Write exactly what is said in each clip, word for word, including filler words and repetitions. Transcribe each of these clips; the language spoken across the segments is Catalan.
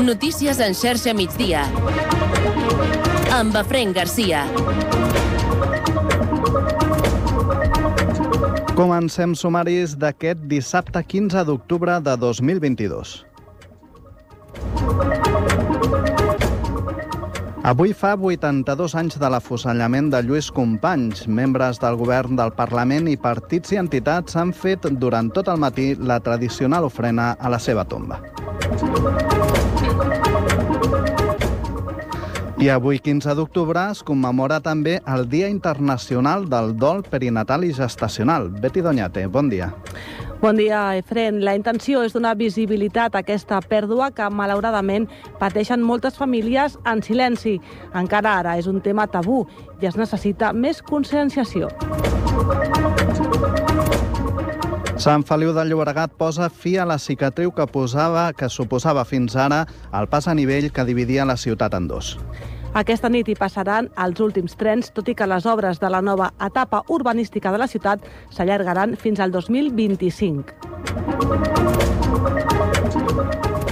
Notícies en xarxa migdia. Amb Efraín Garcia. Comencem sumaris d'aquest dissabte quinze d'octubre de dos mil vint-i-dos. Avui fa vuitanta-dos anys de l'afusellament de Lluís Companys. Membres del govern, del Parlament i partits i entitats han fet durant tot el matí la tradicional ofrena a la seva tomba. I avui, quinze d'octubre, es commemora també el Dia Internacional del Dol Perinatal i Gestacional. Betty Doñate, bon dia. Bon dia, Efraín. La intenció és donar visibilitat a aquesta pèrdua que, malauradament, pateixen moltes famílies en silenci. Encara ara és un tema tabú i es necessita més conscienciació. Sant Feliu de Llobregat posa fi a la cicatriu que, posava, que suposava fins ara el pas a nivell que dividia la ciutat en dos. Aquesta nit hi passaran els últims trens, tot i que les obres de la nova etapa urbanística de la ciutat s'allargaran fins al dos mil vint-i-cinc.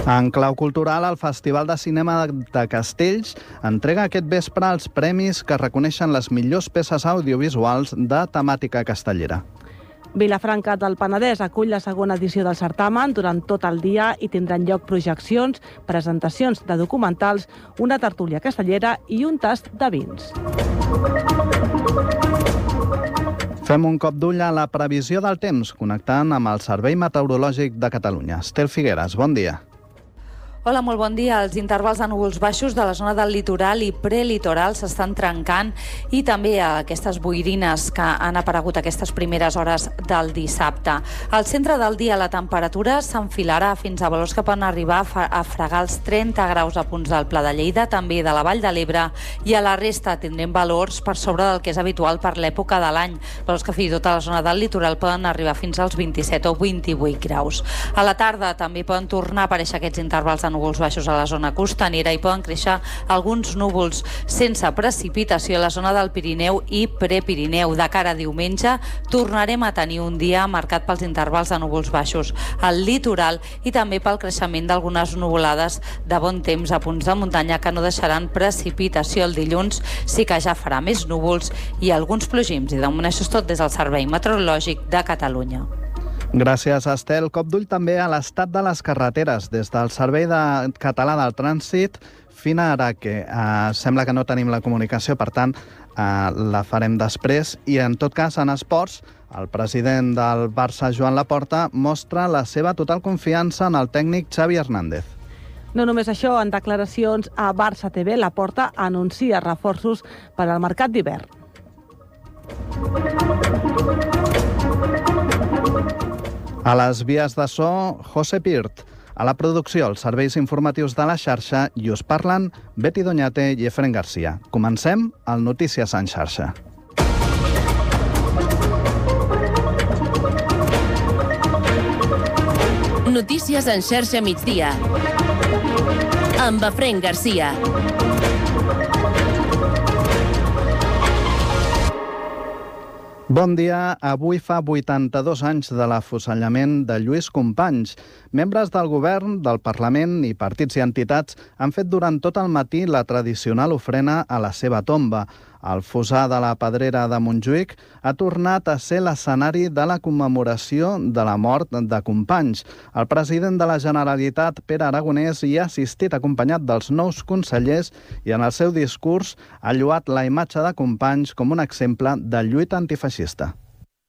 En clau cultural, el Festival de Cinema de Castells entrega aquest vespre els premis que reconeixen les millors peces audiovisuals de temàtica castellera. Vilafranca del Penedès acull la segona edició del certamen durant tot el dia i tindran lloc projeccions, presentacions de documentals, una tertúlia castellera i un tast de vins. Fem un cop d'ull a la previsió del temps, connectant amb el Servei Meteorològic de Catalunya. Estel Figueres, bon dia. Hola, molt bon dia. Els intervals de núvols baixos de la zona del litoral i prelitoral s'estan trencant i també aquestes boirines que han aparegut aquestes primeres hores del dissabte. Al centre del dia la temperatura s'enfilarà fins a valors que poden arribar a fregar els trenta graus a punts del Pla de Lleida, també de la Vall de l'Ebre, i a la resta tindrem valors per sobre del que és habitual per l'època de l'any. Valors que fins i tot a la zona del litoral poden arribar fins als vint-i-set o vint-i-vuit graus. A la tarda també poden tornar a aparèixer aquests intervals de núvols baixos a la zona costanera i poden créixer alguns núvols sense precipitació a la zona del Pirineu i Prepirineu. De cara a diumenge tornarem a tenir un dia marcat pels intervals de núvols baixos al litoral i també pel creixement d'algunes nuvolades de bon temps a punts de muntanya que no deixaran precipitació. El dilluns sí que ja farà més núvols i alguns plogims. I de moment això és tot des del Servei Meteorològic de Catalunya. Gràcies, Estel. Cop d'ull també a l'estat de les carreteres. Des del Servei de... Català del Trànsit, Fina Araque. Eh, sembla que no tenim la comunicació, per tant, eh, la farem després. I, en tot cas, en esports, el president del Barça, Joan Laporta, mostra la seva total confiança en el tècnic Xavi Hernández. No només això, en declaracions a Barça T V, Laporta anuncia reforços per al mercat d'hivern. A les vies de so, José Pirt. A la producció, els serveis informatius de la xarxa, i us parlen Betty Doñate i Efraín Garcia. Comencem el Notícies en xarxa. Notícies en xarxa migdia. Amb Efraín Garcia. Bon dia. Avui fa vuitanta-dos anys de l'afusellament de Lluís Companys. Membres del govern, del Parlament i partits i entitats han fet durant tot el matí la tradicional ofrena a la seva tomba. El fossar de la Pedrera de Montjuïc ha tornat a ser l'escenari de la commemoració de la mort de Companys. El president de la Generalitat, Pere Aragonès, hi ha assistit acompanyat dels nous consellers i en el seu discurs ha lloat la imatge de Companys com un exemple de lluita antifeixista.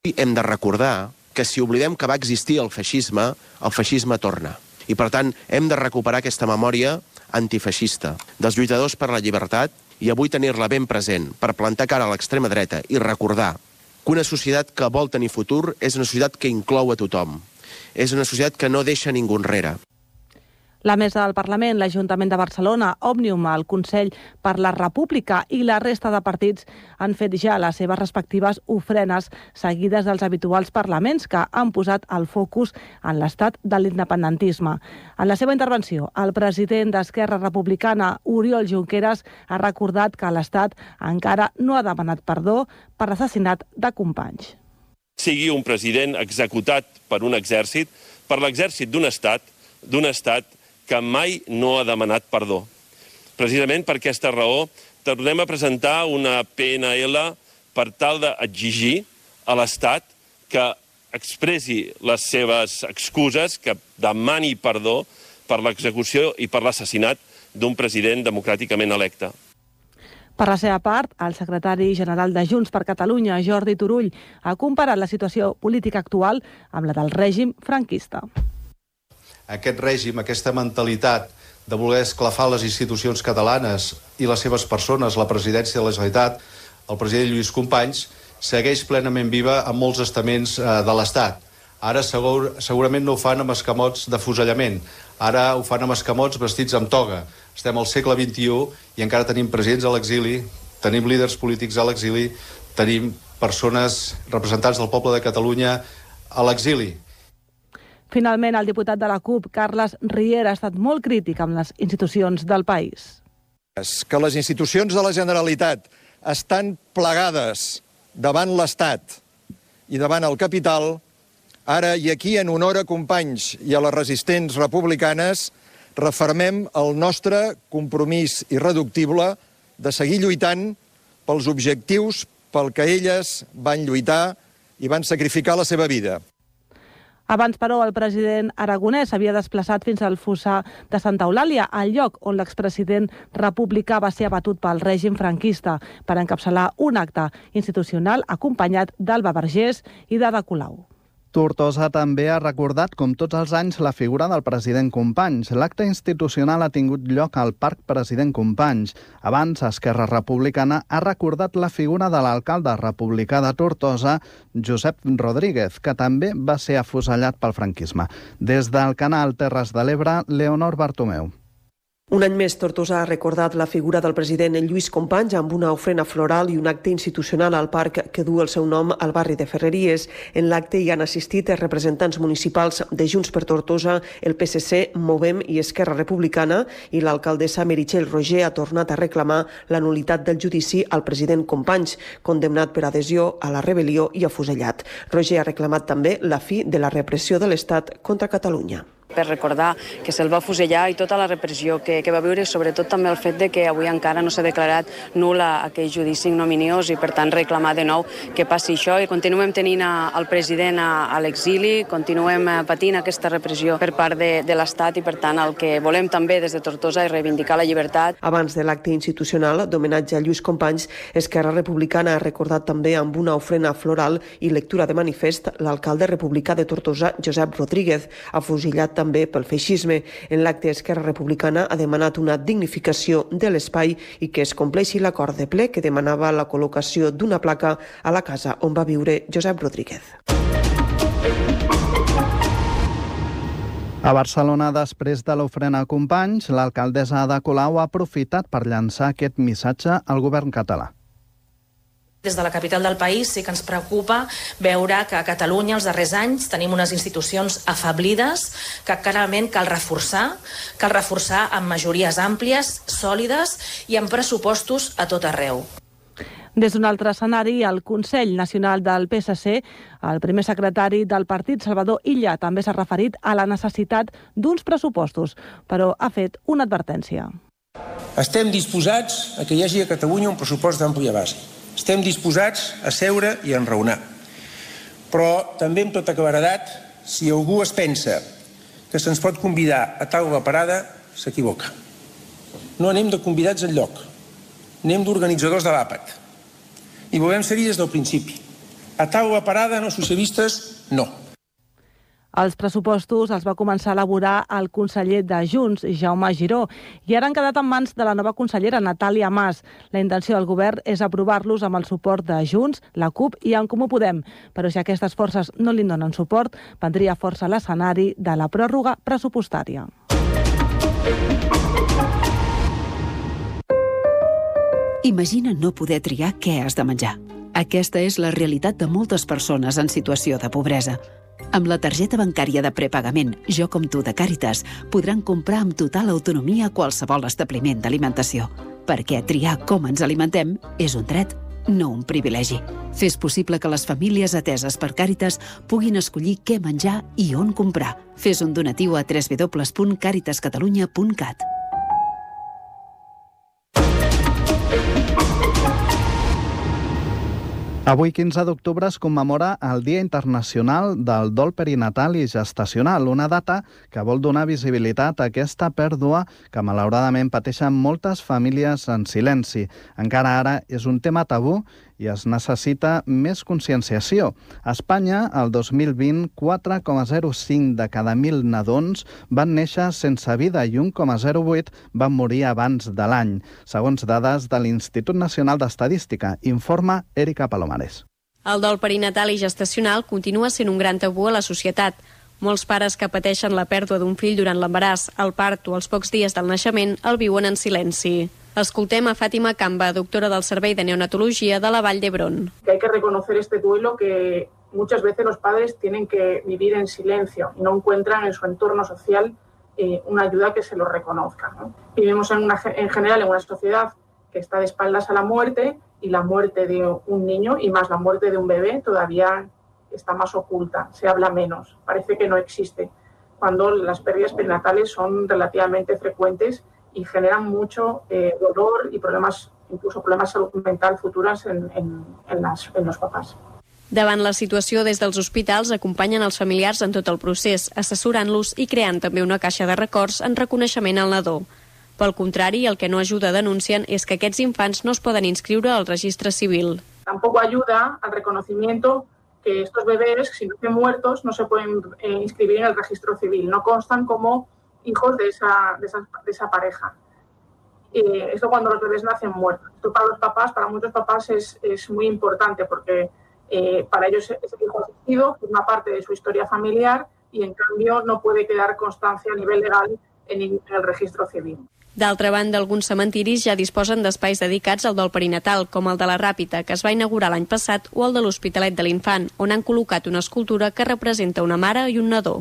Hem de recordar que si oblidem que va existir el feixisme, el feixisme torna. I per tant hem de recuperar aquesta memòria antifeixista dels lluitadors per la llibertat i avui tenir-la ben present per plantar cara a l'extrema dreta i recordar que una societat que vol tenir futur és una societat que inclou a tothom. És una societat que no deixa ningú enrere. La Mesa del Parlament, l'Ajuntament de Barcelona, Òmnium, el Consell per la República i la resta de partits han fet ja les seves respectives ofrenes seguides dels habituals parlaments que han posat el focus en l'estat de l'independentisme. En la seva intervenció, el president d'Esquerra Republicana, Oriol Junqueras, ha recordat que l'Estat encara no ha demanat perdó per l'assassinat de Companys. Sigui un president executat per un exèrcit, per l'exèrcit d'un estat, d'un estat que mai no ha demanat perdó. Precisament per aquesta raó, tornem a presentar una P N L per tal d'exigir a l'Estat que expressi les seves excuses, que demani perdó per l'execució i per l'assassinat d'un president democràticament electe. Per la seva part, el secretari general de Junts per Catalunya, Jordi Turull, ha comparat la situació política actual amb la del règim franquista. Aquest règim, aquesta mentalitat de voler esclafar les institucions catalanes i les seves persones, la presidència de la Generalitat, el president Lluís Companys, segueix plenament viva en molts estaments de l'Estat. Ara segur, segurament no ho fan amb escamots de fusellament. Ara ho fan amb escamots vestits amb toga. Estem al segle vint-i-u i encara tenim presidents a l'exili, tenim líders polítics a l'exili, tenim persones, representants del poble de Catalunya a l'exili. Finalment, el diputat de la CUP, Carles Riera, ha estat molt crític amb les institucions del país. Que les institucions de la Generalitat estan plegades davant l'Estat i davant el capital, ara i aquí, en honor a Companys i a les resistents republicanes, refermem el nostre compromís irreductible de seguir lluitant pels objectius pel que elles van lluitar i van sacrificar la seva vida. Abans, però, el president aragonès s'havia desplaçat fins al fossar de Santa Eulàlia, al lloc on l'expresident republicà va ser abatut pel règim franquista, per encapçalar un acte institucional acompanyat d'Alba Vergés i d'Ada Colau. Tortosa també ha recordat, com tots els anys, la figura del president Companys. L'acte institucional ha tingut lloc al Parc President Companys. Abans, Esquerra Republicana ha recordat la figura de l'alcalde republicà de Tortosa, Josep Rodríguez, que també va ser afusellat pel franquisme. Des del canal Terres de l'Ebre, Leonor Bartomeu. Un any més, Tortosa ha recordat la figura del president Lluís Companys amb una ofrena floral i un acte institucional al parc que du el seu nom al barri de Ferreries. En l'acte hi han assistit representants municipals de Junts per Tortosa, el P S C, Movem i Esquerra Republicana, i l'alcaldessa Meritxell Roger ha tornat a reclamar la nul·litat del judici al president Companys, condemnat per adhesió a la rebel·lió i afusellat. Roger ha reclamat també la fi de la repressió de l'Estat contra Catalunya. Per recordar que se'l va fusellar i tota la repressió que, que va viure, sobretot també el fet de que avui encara no s'ha declarat nul aquell judici ignominiós i, per tant, reclamar de nou que passi això i continuem tenint el president a, a l'exili, continuem patint aquesta repressió per part de, de l'Estat i, per tant, el que volem també des de Tortosa és reivindicar la llibertat. Abans de l'acte institucional d'homenatge a Lluís Companys, Esquerra Republicana ha recordat també amb una ofrena floral i lectura de manifest l'alcalde republicà de Tortosa, Josep Rodríguez, afusellat també pel feixisme. En l'acte, Esquerra Republicana ha demanat una dignificació de l'espai i que es compleixi l'acord de ple que demanava la col·locació d'una placa a la casa on va viure Josep Rodríguez. A Barcelona, després de l'ofrena a Companys, l'alcaldessa Ada Colau ha aprofitat per llançar aquest missatge al govern català. Des de la capital del país sí que ens preocupa veure que a Catalunya els darrers anys tenim unes institucions afeblides que clarament cal reforçar, cal reforçar amb majories àmplies, sòlides i amb pressupostos a tot arreu. Des d'un altre escenari, el Consell Nacional del P S C, el primer secretari del partit, Salvador Illa, també s'ha referit a la necessitat d'uns pressupostos, però ha fet una advertència. Estem disposats a que hi hagi a Catalunya un pressupost d'àmplia base. Estem disposats a seure i a enraonar. Però també amb tota claredat, si algú es pensa que se'ns pot convidar a taula parada, s'equivoca. No anem de convidats enlloc, anem d'organitzadors de l'àpat. I volem ser-hi des del principi. A taula parada, no socialistes, no. Els pressupostos els va començar a elaborar el conseller de Junts, Jaume Giró, i ara han quedat en mans de la nova consellera, Natàlia Mas. La intenció del govern és aprovar-los amb el suport de Junts, la CUP i En Comú Podem. Però si aquestes forces no li donen suport, prendria força l'escenari de la pròrroga pressupostària. Imagina no poder triar què has de menjar. Aquesta és la realitat de moltes persones en situació de pobresa. Amb la targeta bancària de prepagament Jo com tu de Càritas podran comprar amb total autonomia qualsevol establiment d'alimentació, perquè triar com ens alimentem és un dret, no un privilegi. Fes possible que les famílies ateses per Càritas puguin escollir què menjar i on comprar. Fes un donatiu a w w w punt càritas catalunya punt cat. Avui, quinze d'octubre, es commemora el Dia Internacional del Dol Perinatal i Gestacional, una data que vol donar visibilitat a aquesta pèrdua que malauradament pateixen moltes famílies en silenci. Encara ara és un tema tabú i es necessita més conscienciació. A Espanya, el dos mil vint, quatre coma zero cinc de cada mil nadons van néixer sense vida i un coma zero vuit van morir abans de l'any, segons dades de l'Institut Nacional d'Estadística, informa Erika Palomares. El dol perinatal i gestacional continua sent un gran tabú a la societat. Molts pares que pateixen la pèrdua d'un fill durant l'embaràs, el part o els pocs dies del naixement el viuen en silenci. Escoltem a Fàtima Camba, doctora del Servei de Neonatología de la Vall d'Hebron. Que hay que reconocer este duelo que muchas veces los padres tienen que vivir en silencio y no encuentran en su entorno social eh, una ayuda que se lo reconozca, ¿no? Vivimos en, una, en general en una sociedad que está de espaldas a la muerte y la muerte de un niño y más la muerte de un bebé todavía está más oculta, se habla menos, parece que no existe, cuando las pérdidas perinatales son relativamente frecuentes y generan mucho eh, dolor y problemas, incluso problemas de salud mental futuras en, en, en, las, en los papás. Davant la situació, des dels hospitals acompanyen els familiars en tot el procés, assessorant-los i creant també una caixa de records en reconeixement al nadó. Pel contrari, el que no ajuda, denuncien, és que aquests infants no es poden inscriure al registre civil. Tampoco ayuda al reconocimiento que estos bebés, si no estén muertos, no se pueden eh, inscribir en el registro civil, no constan como hijos de esa, de esa, de esa pareja. Eh, esto cuando los bebés nacen muertos. Esto para los papás, para muchos papás es, es muy importante porque eh, para ellos ese hijo asistido forma parte de su historia familiar y en cambio no puede quedar constancia a nivel legal en, en el registro civil. D'altra banda, alguns cementiris ja disposen d'espais dedicats al dol perinatal, com el de la Ràpita, que es va inaugurar l'any passat, o el de l'Hospitalet de l'Infant, on han col·locat una escultura que representa una mare i un nadó.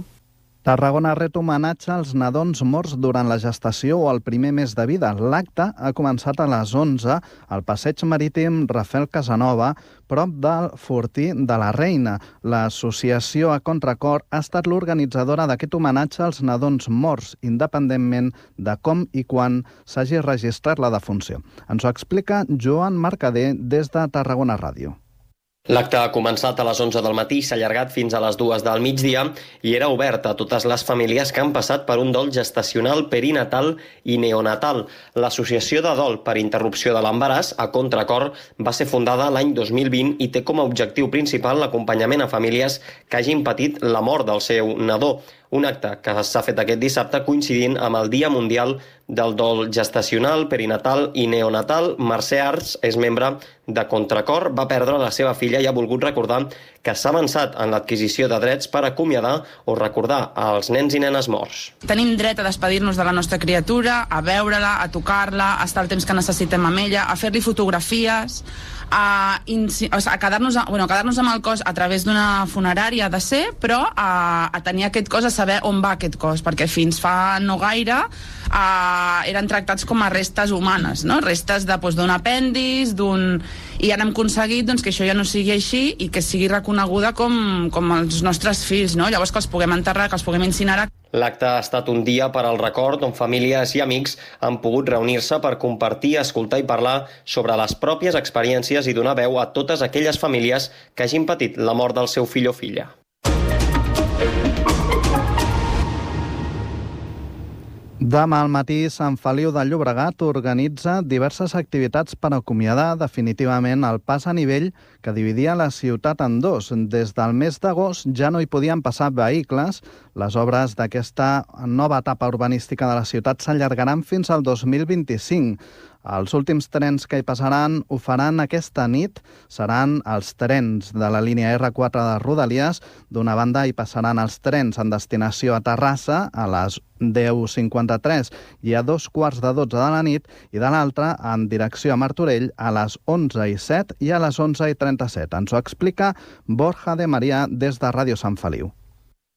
Tarragona ret homenatge als nadons morts durant la gestació o el primer mes de vida. L'acte ha començat a les onze al passeig marítim Rafael Casanova, prop del Fortí de la Reina. L'associació A Contracor ha estat l'organitzadora d'aquest homenatge als nadons morts, independentment de com i quan s'hagi registrat la defunció. Ens ho explica Joan Mercader des de Tarragona Ràdio. L'acte ha començat a les onze del matí, s'ha allargat fins a les dues del migdia i era obert a totes les famílies que han passat per un dol gestacional, perinatal i neonatal. L'Associació de Dol per Interrupció de l'Embaràs, A Contracor, va ser fundada l'any dos mil vint i té com a objectiu principal l'acompanyament a famílies que hagin patit la mort del seu nadó. Un acte que s'ha fet aquest dissabte coincidint amb el Dia Mundial del Dol Gestacional, Perinatal i Neonatal. Mercè Arts és membre de Contracor, va perdre la seva filla i ha volgut recordar que s'ha avançat en l'adquisició de drets per acomiadar o recordar als nens i nenes morts. Tenim dret a despedir-nos de la nostra criatura, a veure-la, a tocar-la, a estar el temps que necessitem amb ella, a fer-li fotografies, a, a quedar-nos bueno, quedar-nos amb el cos a través d'una funerària de ser, però a, a tenir aquest cos, a saber on va aquest cos, perquè fins fa no gaire a, eren tractats com a restes humanes, no? Restes de, doncs, d'un apèndix, d'un... i ara hem aconseguit doncs, que això ja no sigui així i que sigui reconeguda com, com els nostres fills, no? Llavors que els puguem enterrar, que els puguem incinerar. L'acte ha estat un dia per al record on famílies i amics han pogut reunir-se per compartir, escoltar i parlar sobre les pròpies experiències i donar veu a totes aquelles famílies que hagin patit la mort del seu fill o filla. Demà al matí, Sant Feliu de Llobregat organitza diverses activitats per acomiadar definitivament el pas a nivell que dividia la ciutat en dos. Des del mes d'agost ja no hi podien passar vehicles. Les obres d'aquesta nova etapa urbanística de la ciutat s'allargaran fins al dos mil vint-i-cinc. Els últims trens que hi passaran ho faran aquesta nit. Seran els trens de la línia erre quatre de Rodalies. D'una banda hi passaran els trens en destinació a Terrassa a les deu cinquanta-tres i a dos quarts de dotze de la nit, i de l'altra en direcció a Martorell a les onze i set i a les onze i trenta-set. Ens ho explica Borja de Maria des de Ràdio Sant Feliu.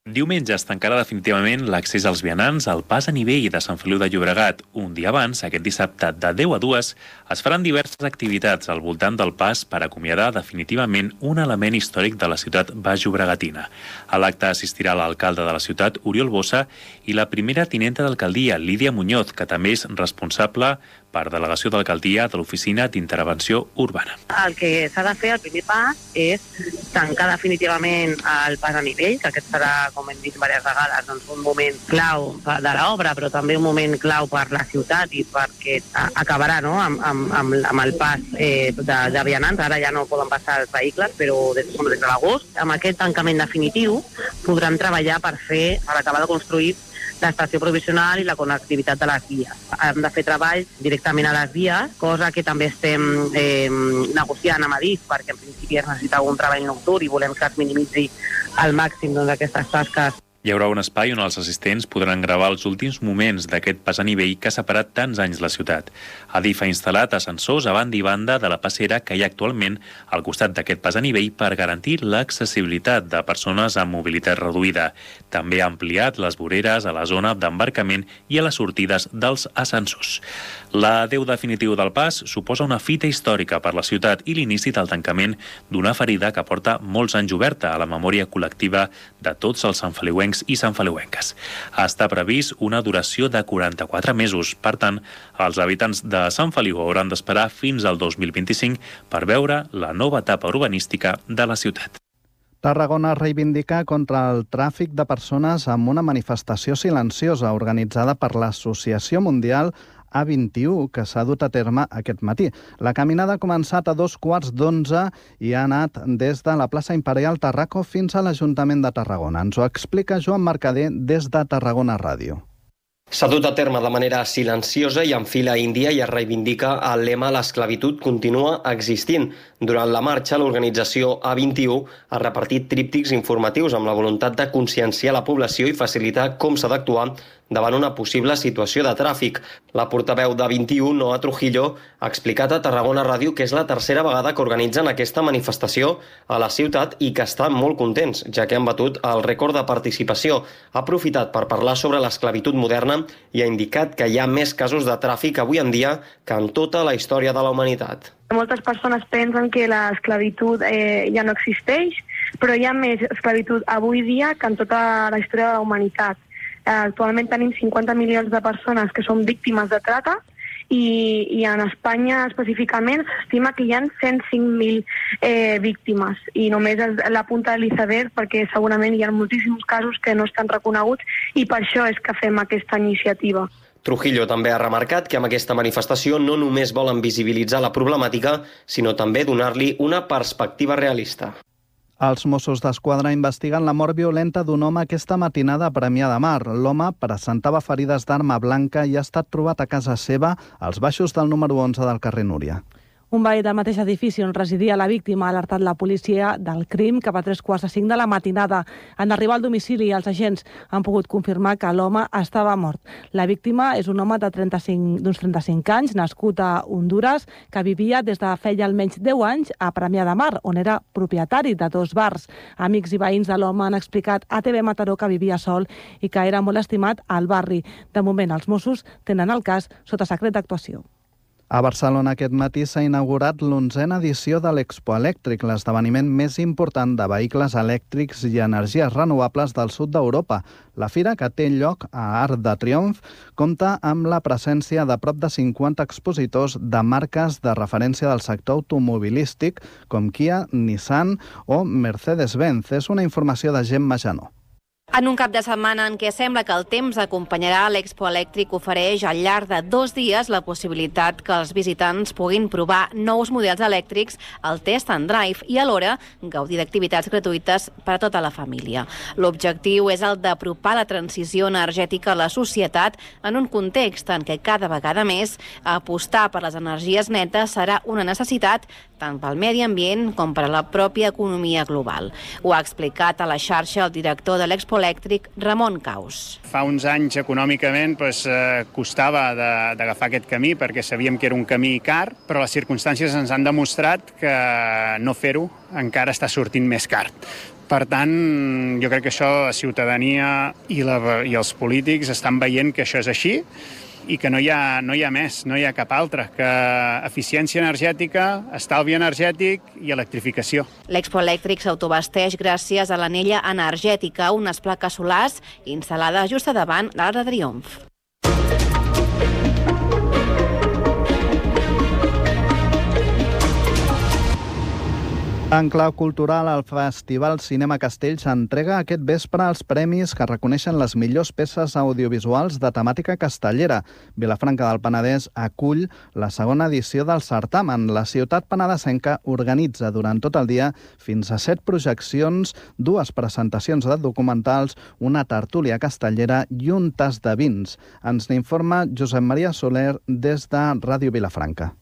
Diumenge es tancarà definitivament l'accés als vianants al pas a nivell de Sant Feliu de Llobregat. Un dia abans, aquest dissabte de deu a dues, es faran diverses activitats al voltant del pas per acomiadar definitivament un element històric de la ciutat baix-llobregatina. A l'acte assistirà l'alcalde de la ciutat, Oriol Bossa, i la primera tinenta d'alcaldia, Lídia Muñoz, que també és responsable per delegació d'alcaldia de l'Oficina d'Intervenció Urbana. El que s'ha de fer, el primer pas, és tancar definitivament el pas a nivell, que aquest serà, com hem dit diverses vegades, doncs un moment clau de l'obra, però també un moment clau per la ciutat i perquè acabarà no? amb, amb, amb, amb el pas eh, de, de vianants. Ara ja no poden passar els vehicles, però des, des de l'agost, amb aquest tancament definitiu, podran treballar per fer, per acabar de construir l'estació provisional i la connectivitat de les vies. Hem de fer treball directament a les vies, cosa que també estem eh, negociant amb Adif, perquè en principi es necessita un treball nocturn i volem que es minimitzi al màxim doncs, aquestes tasques. Hi haurà un espai on els assistents podran gravar els últims moments d'aquest pas a nivell que ha separat tants anys la ciutat. Adif ha instal·lat ascensors a banda i banda de la passera que hi ha actualment al costat d'aquest pas a nivell per garantir l'accessibilitat de persones amb mobilitat reduïda. També ha ampliat les voreres a la zona d'embarcament i a les sortides dels ascensors. L'adeu definitiu del pas suposa una fita històrica per la ciutat i l'inici del tancament d'una ferida que porta molts anys oberta a la memòria col·lectiva de tots els santfeliuencs i santfeliuenques. Està previst una duració de quaranta-quatre mesos. Per tant, els habitants de Sant Feliu hauran d'esperar fins al dos mil vint-i-cinc per veure la nova etapa urbanística de la ciutat. Tarragona reivindica contra el tràfic de persones amb una manifestació silenciosa organitzada per l'Associació Mundial A vint i u, que s'ha dut a terme aquest matí. La caminada ha començat a dos quarts d'onze i ha anat des de la plaça Imperial Tarraco fins a l'Ajuntament de Tarragona. Ens ho explica Joan Mercader des de Tarragona Ràdio. S'ha dut a terme de manera silenciosa i en fila índia i es reivindica el lema «L'esclavitud continua existint». Durant la marxa, l'organització A vint i u ha repartit tríptics informatius amb la voluntat de conscienciar la població i facilitar com s'ha d'actuar davant una possible situació de tràfic. La portaveu d'A vint i u, Noa Trujillo, ha explicat a Tarragona Ràdio que és la tercera vegada que organitzen aquesta manifestació a la ciutat i que estan molt contents, ja que han batut el rècord de participació. Ha aprofitat per parlar sobre l'esclavitud moderna i ha indicat que hi ha més casos de tràfic avui en dia que en tota la història de la humanitat. Moltes persones pensen que l'esclavitud eh, ja no existeix, però hi ha més esclavitud avui dia que en tota la història de la humanitat. Actualment tenim cinquanta milions de persones que són víctimes de trata i, i en Espanya específicament s'estima que hi ha cent cinc mil eh, víctimes i només és la punta de l'iceberg perquè segurament hi ha moltíssims casos que no estan reconeguts i per això és que fem aquesta iniciativa. Trujillo també ha remarcat que amb aquesta manifestació no només volen visibilitzar la problemàtica, sinó també donar-li una perspectiva realista. Els Mossos d'Esquadra investiguen la mort violenta d'un home aquesta matinada a Premià de Mar. L'home presentava ferides d'arma blanca i ha estat trobat a casa seva als baixos del número onze del carrer Núria. Un veí del mateix edifici on residia la víctima ha alertat la policia del crim cap a tres quarts de cinc de la matinada. En arribar al domicili, els agents han pogut confirmar que l'home estava mort. La víctima és un home de trenta-cinc, d'uns trenta-cinc anys, nascut a Hondures, que vivia des de feia almenys deu anys a Premià de Mar, on era propietari de dos bars. Amics i veïns de l'home han explicat a T V Mataró que vivia sol i que era molt estimat al barri. De moment, els Mossos tenen el cas sota secret d'actuació. A Barcelona aquest matí s'ha inaugurat l'onzena edició de l'Expo Elèctric, l'esdeveniment més important de vehicles elèctrics i energies renovables del sud d'Europa. La fira, que té lloc a Arc de Triomf, compta amb la presència de prop de cinquanta expositors de marques de referència del sector automobilístic com Kia, Nissan o Mercedes-Benz. És una informació de Gemma Janó. En un cap de setmana en què sembla que el temps acompanyarà, l'Expo Elèctric ofereix al llarg de dos dies la possibilitat que els visitants puguin provar nous models elèctrics, el test and drive i alhora gaudir d'activitats gratuïtes per a tota la família. L'objectiu és el d'apropar la transició energètica a la societat en un context en què cada vegada més apostar per les energies netes serà una necessitat tant pel medi ambient com per a la pròpia economia global. Ho ha explicat a la xarxa el director de l'Expo Elèctric Ramon Caus. Fa uns anys econòmicament doncs, eh, costava d'agafar aquest camí perquè sabíem que era un camí car, però les circumstàncies ens han demostrat que no fer-ho encara està sortint més car. Per tant, jo crec que això la ciutadania i, la, i els polítics estan veient que això és així i que no hi ha, no hi ha més, no hi ha cap altre, que eficiència energètica, estalvi energètic i electrificació. L'Expo Elèctric s'autobasteix gràcies a l'anella energètica, unes plaques solars instal·lades just a davant de l'Arc de Triomf. En clau cultural, el Festival Cinema Castells entrega aquest vespre els premis que reconeixen les millors peces audiovisuals de temàtica castellera. Vilafranca del Penedès acull la segona edició del certamen. La ciutat penedesenca organitza durant tot el dia fins a set projeccions, dues presentacions de documentals, una tertúlia castellera i un tas de vins. Ens n'informa Josep Maria Soler des de Ràdio Vilafranca.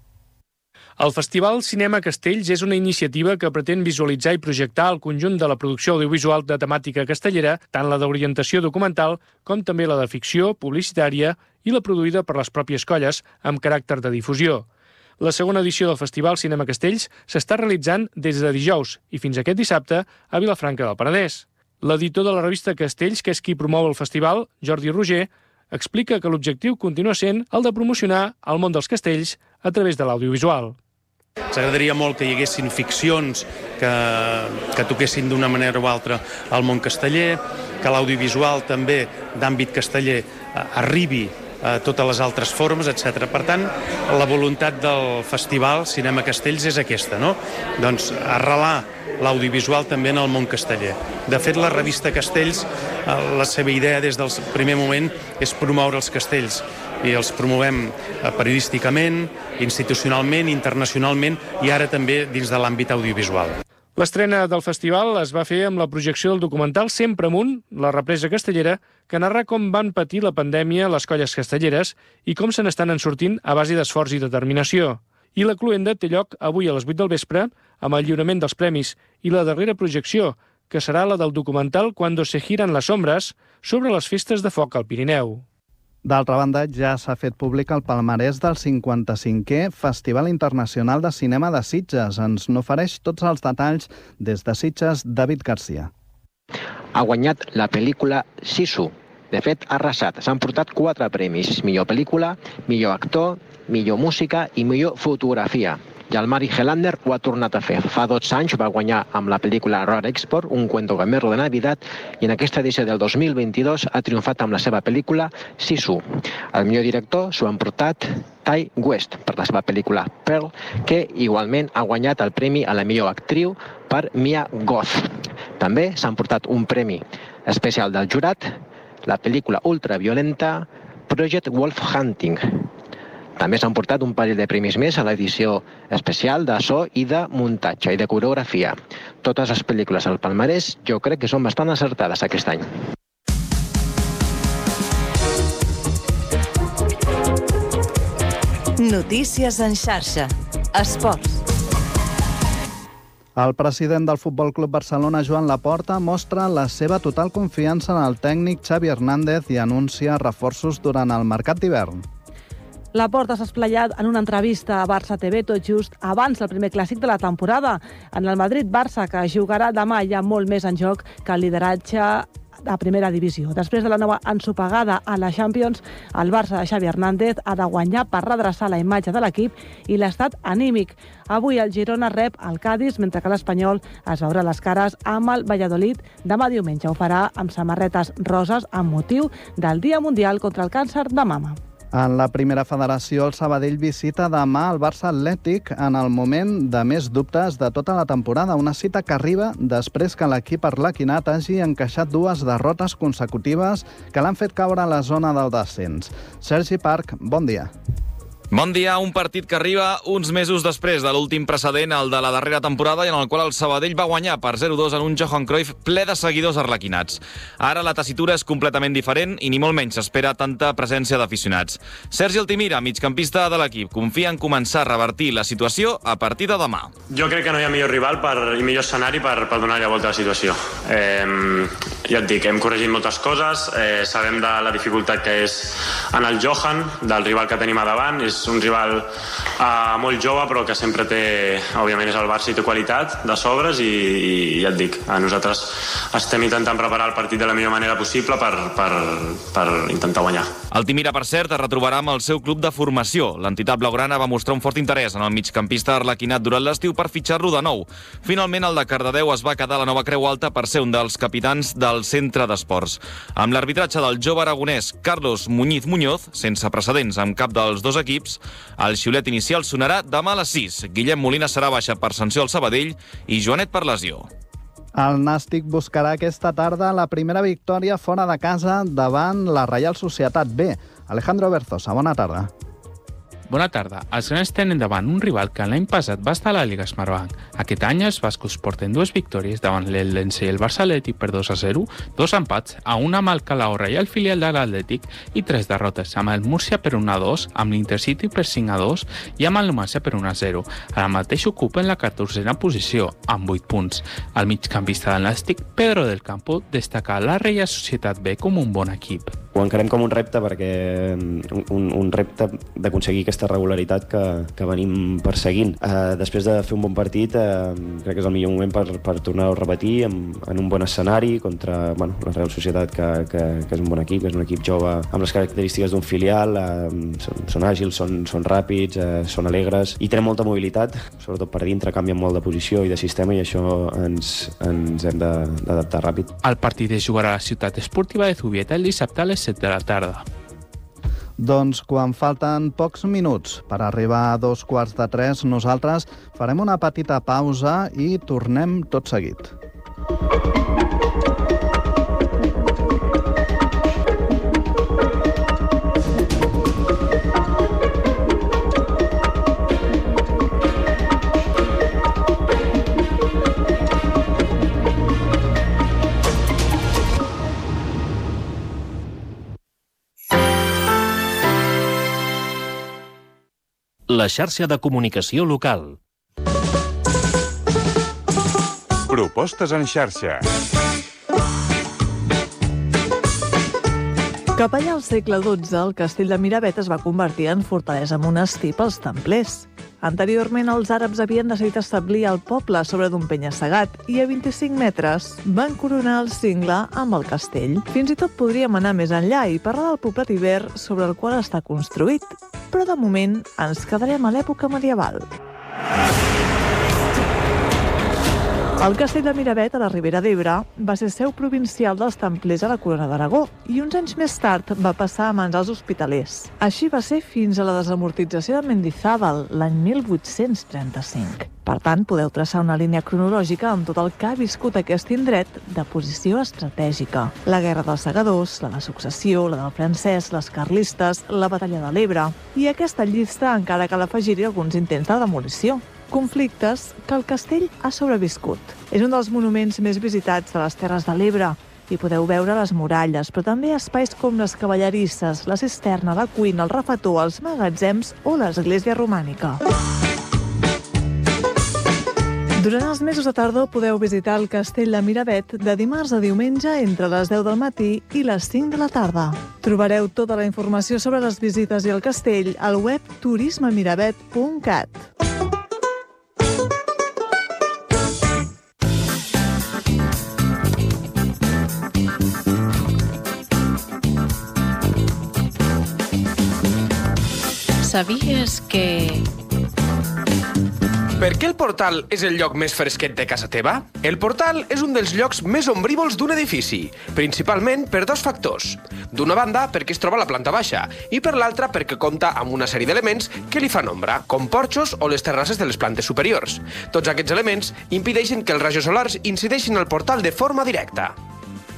El Festival Cinema Castells és una iniciativa que pretén visualitzar i projectar el conjunt de la producció audiovisual de temàtica castellera, tant la d'orientació documental com també la de ficció, publicitària i la produïda per les pròpies colles amb caràcter de difusió. La segona edició del Festival Cinema Castells s'està realitzant des de dijous i fins aquest dissabte a Vilafranca del Penedès. L'editor de la revista Castells, que és qui promou el festival, Jordi Roger, explica que l'objectiu continua sent el de promocionar el món dels castells a través de l'audiovisual. Ens agradaria molt que hi haguessin ficcions que, que toquessin d'una manera o altra al món casteller, que l'audiovisual també d'àmbit casteller arribi a totes les altres formes, etcètera. Per tant, la voluntat del Festival Cinema Castells és aquesta, no? Doncs arrelar l'audiovisual també en el món casteller. De fet, la revista Castells, la seva idea des del primer moment és promoure els castells i els promovem periodísticament, institucionalment, internacionalment i ara també dins de l'àmbit audiovisual. L'estrena del festival es va fer amb la projecció del documental Sempre amunt, la represa castellera, que narra com van patir la pandèmia les colles castelleres i com se n'estan en sortint a base d'esforç i determinació. I la cluenda té lloc avui a les vuit del vespre amb el lliurament dels premis i la darrera projecció, que serà la del documental Cuando se giran las sombras, sobre les festes de foc al Pirineu. D'altra banda, ja s'ha fet públic el palmarès del cinquanta-cinquè Festival Internacional de Cinema de Sitges. Ens n'ofereix tots els detalls des de Sitges, David Garcia. Ha guanyat la pel·lícula Sisu. De fet, ha arrasat. S'han portat quatre premis. Millor pel·lícula, millor actor, millor música i millor fotografia. I el Mari Helander ho ha tornat a fer. Fa dotze anys va guanyar amb la pel·lícula Roar Export, un cuento gamberro de Navidad, i en aquesta edició del dos mil vint-i-dos ha triomfat amb la seva pel·lícula Sisu. El millor director s'ho han portat Ty West per la seva pel·lícula Pearl, que igualment ha guanyat el premi a la millor actriu per Mia Goth. També s'han portat un premi especial del jurat, la pel·lícula ultraviolenta Project Wolf Hunting. També s'han portat un parell de premis més a l'edició especial de so i de muntatge i de coreografia. Totes les pel·lícules al palmarès jo crec que són bastant acertades aquest any. Notícies en xarxa. Esports. El president del Futbol Club Barcelona, Joan Laporta, mostra la seva total confiança en el tècnic Xavi Hernández i anuncia reforços durant el mercat d'hivern. Laporta s'ha esplayat en una entrevista a Barça T V tot just abans del primer clàssic de la temporada. En el Madrid-Barça, que jugarà demà, hi ha molt més en joc que el lideratge a primera divisió. Després de la nova ensopegada a la Champions, el Barça de Xavi Hernández ha de guanyar per redreçar la imatge de l'equip i l'estat anímic. Avui el Girona rep el Cádiz, mentre que l'Espanyol es veurà les cares amb el Valladolid. Demà diumenge ho farà amb samarretes roses amb motiu del Dia Mundial contra el Càncer de Mama. En la primera federació, el Sabadell visita demà el Barça Atlètic en el moment de més dubtes de tota la temporada. Una cita que arriba després que l'equip arlequinat hagi encaixat dues derrotes consecutives que l'han fet caure a la zona del descens. Sergi Parc, bon dia. Bon dia, un partit que arriba uns mesos després de l'últim precedent, el de la darrera temporada, i en el qual el Sabadell va guanyar per zero dos en un Johan Cruyff ple de seguidors arlequinats. Ara la tessitura és completament diferent i ni molt menys s'espera tanta presència d'aficionats. Sergi Altimira, migcampista de l'equip, confia en començar a revertir la situació a partir de demà. Jo crec que no hi ha millor rival per, i millor escenari per, per donar-li la volta a la situació. Eh, ja et dic, hem corregit moltes coses, eh, sabem de la dificultat que és en el Johan, del rival que tenim a davant. És un rival uh, molt jove, però que sempre té, òbviament és el Barça i té qualitat de sobres, i, i ja et dic, nosaltres estem intentant preparar el partit de la millor manera possible per, per, per intentar guanyar. Altimira, per cert, es retrobarà amb el seu club de formació. L'entitat blaugrana va mostrar un fort interès en el migcampista arlequinat durant l'estiu per fitxar-lo de nou. Finalment, el de Cardedeu es va quedar a la nova Creu Alta per ser un dels capitans del centre d'esports. Amb l'arbitratge del jove aragonès Carlos Muñiz Muñoz, sense precedents amb cap dels dos equips, el xiulet inicial sonarà demà a les sis. Guillem Molina serà baixa per sanció al Sabadell i Joanet per lesió. El Nàstic buscarà aquesta tarda la primera victòria fora de casa davant la Reial Societat B. Alejandro Berzosa, bona tarda. Bona tarda. Els grans tenen davant un rival que l'any passat va estar a la Lliga Smartbank. Aquest any els bascos porten dues victòries davant l'Eldense i el Barça Atlètic per dos a zero, dos empats, a una amb el Calahorra i el filial de l'Atlètic, i tres derrotes, amb el Múrcia per un a dos, amb l'Intercity per cinc a dos i amb el Numancia per un a zero. Ara mateix ocupen la catorzena posició, amb vuit punts. El migcampista del Nàstic, Pedro del Campo, destaca la Reial Societat B com un bon equip. Ho encarem com un repte, perquè un, un repte d'aconseguir aquesta regularitat que, que venim perseguint. Eh, després de fer un bon partit, eh, crec que és el millor moment per, per tornar-ho a repetir en, en un bon escenari contra bueno, la Real Societat, que, que, que és un bon equip, que és un equip jove amb les característiques d'un filial, eh, són, són àgils, són, són ràpids, eh, són alegres i tenen molta mobilitat, sobretot per dintre, canvien molt de posició i de sistema, i això ens, ens hem d'adaptar ràpid. El partit es jugarà a la ciutat esportiva de Zubieta el dissabte a les set de la tarda. Doncs quan falten pocs minuts per arribar a dos quarts de tres, nosaltres farem una petita pausa i tornem tot seguit. La xarxa de comunicació local. Propostes en xarxa. Cap allà al segle dotze, el castell de Miravet es va convertir en fortalesa monestir pels templers. Anteriorment, els àrabs havien decidit establir el poble sobre d'un penya-segat i a vint-i-cinc metres van coronar el cingle amb el castell. Fins i tot podríem anar més enllà i parlar del poblat ibert sobre el qual està construït, però de moment ens quedarem a l'època medieval. El castell de Miravet, a la Ribera d'Ebre, va ser seu provincial dels templers a la Corona d'Aragó i uns anys més tard va passar a mans dels hospitalers. Així va ser fins a la desamortització de Mendizábal, l'any mil vuit-cents trenta-cinc. Per tant, podeu traçar una línia cronològica amb tot el que ha viscut aquest indret de posició estratègica. La Guerra dels Segadors, la de Successió, la del francès, les carlistes, la Batalla de l'Ebre. I a aquesta llista encara cal afegir-hi alguns intents de demolició. Conflictes que el castell ha sobreviscut. És un dels monuments més visitats de les Terres de l'Ebre i podeu veure les muralles, però també espais com les cavallerisses, la cisterna, la cuina, el refetor, els magatzems o l'església romànica. Durant els mesos de tardor podeu visitar el castell de Miravet de dimarts a diumenge entre les deu del matí i les cinc de la tarda. Trobareu tota la informació sobre les visites i el castell al web turisme miravet punt cat. Sabies que... Per què el portal és el lloc més fresquet de casa teva? El portal és un dels llocs més ombrívols d'un edifici, principalment per dos factors. D'una banda, perquè es troba a la planta baixa, i per l'altra perquè compta amb una sèrie d'elements que li fan ombra, com porxos o les terrasses de les plantes superiors. Tots aquests elements impedeixen que els rajos solars incideixin al portal de forma directa.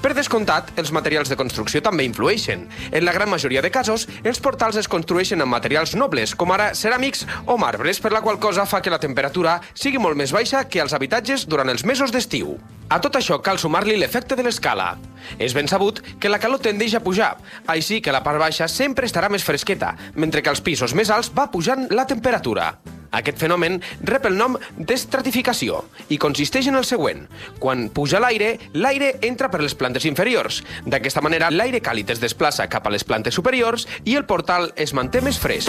Per descomptat, els materials de construcció també influeixen. En la gran majoria de casos, els portals es construeixen amb materials nobles, com ara ceràmics o marbres, per la qual cosa fa que la temperatura sigui molt més baixa que als habitatges durant els mesos d'estiu. A tot això cal sumar-li l'efecte de l'escala. És ben sabut que la calor tendeix a pujar, així que la part baixa sempre estarà més fresqueta, mentre que als pisos més alts va pujant la temperatura. Aquest fenomen rep el nom d'estratificació i consisteix en el següent. Quan puja l'aire, l'aire entra per les plantes inferiors. D'aquesta manera, l'aire càlid es desplaça cap a les plantes superiors i el portal es manté més fresc.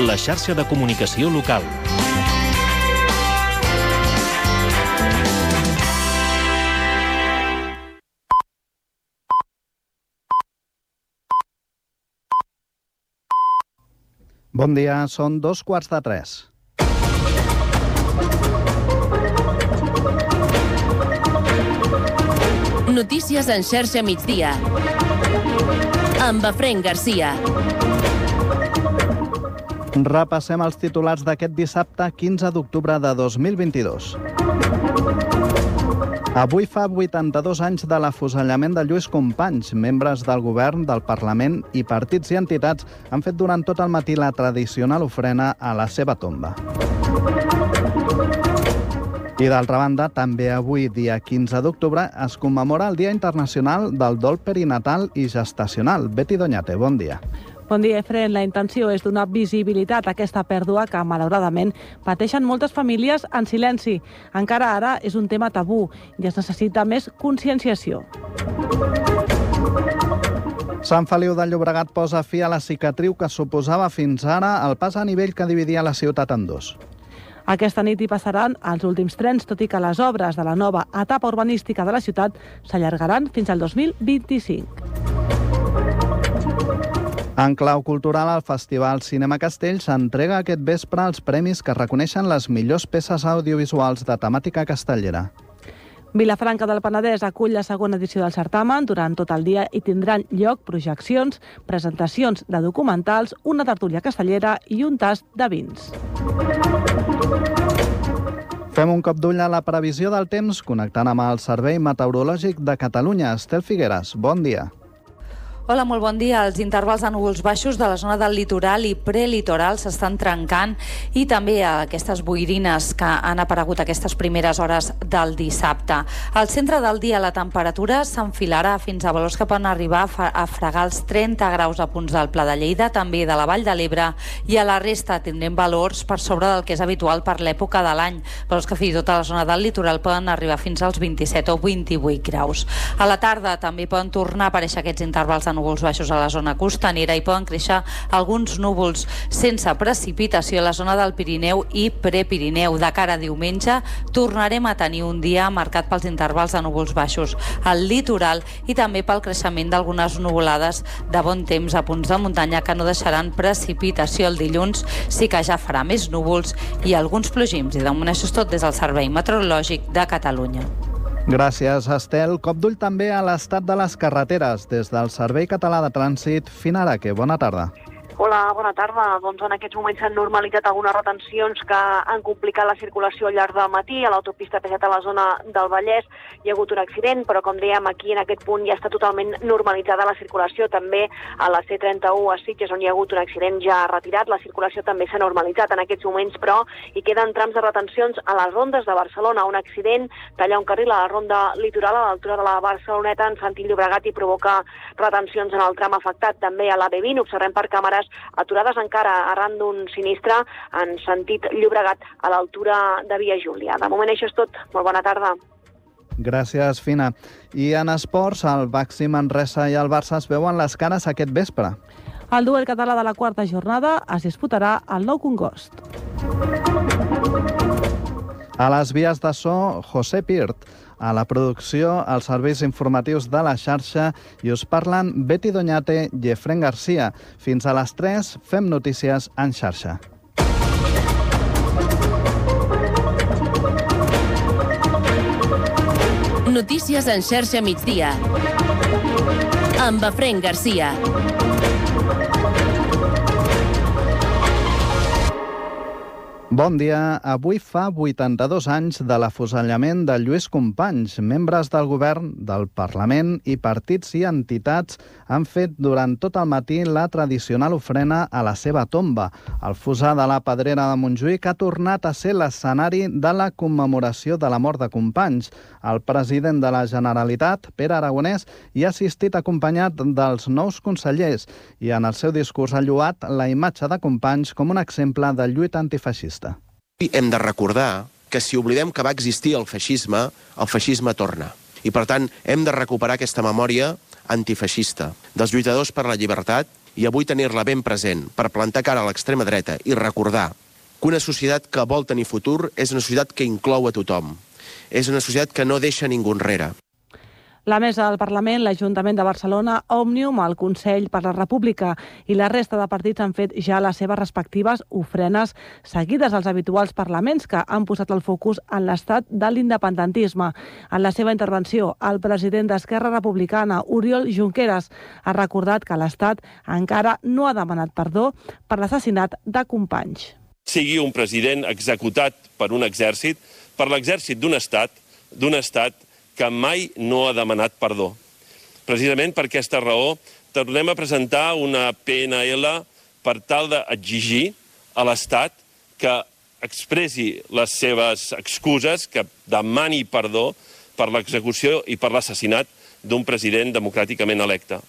La xarxa de comunicació local. Bon dia, són dos quarts de tres. Notícies en xarxa migdia. Amb Efrén Garcia. Repassem els titulars d'aquest dissabte quinze d'octubre de dos mil vint-i-dos. Avui fa vuitanta-dos anys de l'afusellament de Lluís Companys. Membres del govern, del Parlament i partits i entitats han fet durant tot el matí la tradicional ofrena a la seva tomba. I d'altra banda, també avui, dia quinze d'octubre, es commemora el Dia Internacional del Dol Perinatal i Gestacional. Betty Doñate, bon dia. Bon dia, Efrén. La intenció és donar visibilitat a aquesta pèrdua que, malauradament, pateixen moltes famílies en silenci. Encara ara és un tema tabú i es necessita més conscienciació. Sant Feliu de Llobregat posa fi a la cicatriu que suposava fins ara el pas a nivell que dividia la ciutat en dos. Aquesta nit hi passaran els últims trens, tot i que les obres de la nova etapa urbanística de la ciutat s'allargaran fins al dos mil vint-i-cinc. En clau cultural, el Festival Cinema Castell s'entrega aquest vespre els premis que reconeixen les millors peces audiovisuals de temàtica castellera. Vilafranca del Penedès acull la segona edició del certamen. Durant tot el dia hi tindran lloc projeccions, presentacions de documentals, una tertúlia castellera i un tast de vins. Fem un cop d'ull a la previsió del temps connectant amb el Servei Meteorològic de Catalunya. Estel Figueres, bon dia. Hola, molt bon dia. Els intervals de núvols baixos de la zona del litoral i prelitoral s'estan trencant i també aquestes boirines que han aparegut aquestes primeres hores del dissabte. Al centre del dia la temperatura s'enfilarà fins a valors que poden arribar a fregar els trenta graus a punts del Pla de Lleida, també de la Vall de l'Ebre, i a la resta tindrem valors per sobre del que és habitual per l'època de l'any. Valors que fins i tot a la zona del litoral poden arribar fins als vint-i-set o vint-i-vuit graus. A la tarda també poden tornar a aparèixer aquests intervals de núvols baixos a la zona costanera i poden créixer alguns núvols sense precipitació a la zona del Pirineu i Prepirineu. De cara a diumenge tornarem a tenir un dia marcat pels intervals de núvols baixos al litoral i també pel creixement d'algunes nuvolades de bon temps a punts de muntanya que no deixaran precipitació el dilluns. Sí que ja farà més núvols i alguns plogims. I de moment això és tot des del Servei Meteorològic de Catalunya. Gràcies, Estel. Cop d'ull també a l'estat de les carreteres des del Servei Català de Trànsit. Finaraque, bona tarda. Hola, bona tarda. Doncs en aquests moments s'han normalitzat algunes retencions que han complicat la circulació al llarg del matí. A l'autopista P set a la zona del Vallès hi ha hagut un accident, però com dèiem, aquí en aquest punt ja està totalment normalitzada la circulació. També a la C trenta-u a Sitges, on hi ha hagut un accident ja retirat, la circulació també s'ha normalitzat en aquests moments, però hi queden trams de retencions a les rondes de Barcelona. Un accident talla un carril a la ronda litoral a l'altura de la Barceloneta en sentit Llobregat i provoca retencions en el tram afectat. També a la B vint observem per càmeres aturades encara arran d'un sinistre en sentit Llobregat a l'altura de Via Júlia. De moment això és tot. Molt bona tarda. Gràcies, Fina. I en esports, el Baxi Manresa i el Barça es veuen les cares aquest vespre. El duel català de la quarta jornada es disputarà al Nou Congost. A les vies de so, José Pirt. A la producció, els serveis informatius de la xarxa i us parlen Betty Doñate i Efrén Garcia. Fins a les tres fem notícies en xarxa. Notícies en xarxa migdia. Amb Efrén Garcia. Bon dia. Avui fa vuitanta-dos anys de l'afusellament de Lluís Companys. Membres del govern, del Parlament i partits i entitats han fet durant tot el matí la tradicional ofrena a la seva tomba. El fossar de la Pedrera de Montjuïc ha tornat a ser l'escenari de la commemoració de la mort de Companys. El president de la Generalitat, Pere Aragonès, hi ha assistit acompanyat dels nous consellers i en el seu discurs ha lloat la imatge de Companys com un exemple de lluita antifeixista. Hem de recordar que si oblidem que va existir el feixisme, el feixisme torna. I, per tant, hem de recuperar aquesta memòria antifeixista dels lluitadors per la llibertat i avui tenir-la ben present per plantar cara a l'extrema dreta i recordar que una societat que vol tenir futur és una societat que inclou a tothom. És una societat que no deixa ningú enrere. La mesa del Parlament, l'Ajuntament de Barcelona, Òmnium, el Consell per la República i la resta de partits han fet ja les seves respectives ofrenes seguides als habituals parlaments que han posat el focus en l'estat de l'independentisme. En la seva intervenció, el president d'Esquerra Republicana, Oriol Junqueras, ha recordat que l'Estat encara no ha demanat perdó per l'assassinat de Companys. Sigui un president executat per un exèrcit, per l'exèrcit d'un estat, d'un estat que mai no ha demanat perdó. Precisament per aquesta raó, tornem a presentar una P N L per tal d'exigir a l'Estat que expressi les seves excuses, que demani perdó per l'execució i per l'assassinat d'un president democràticament electe.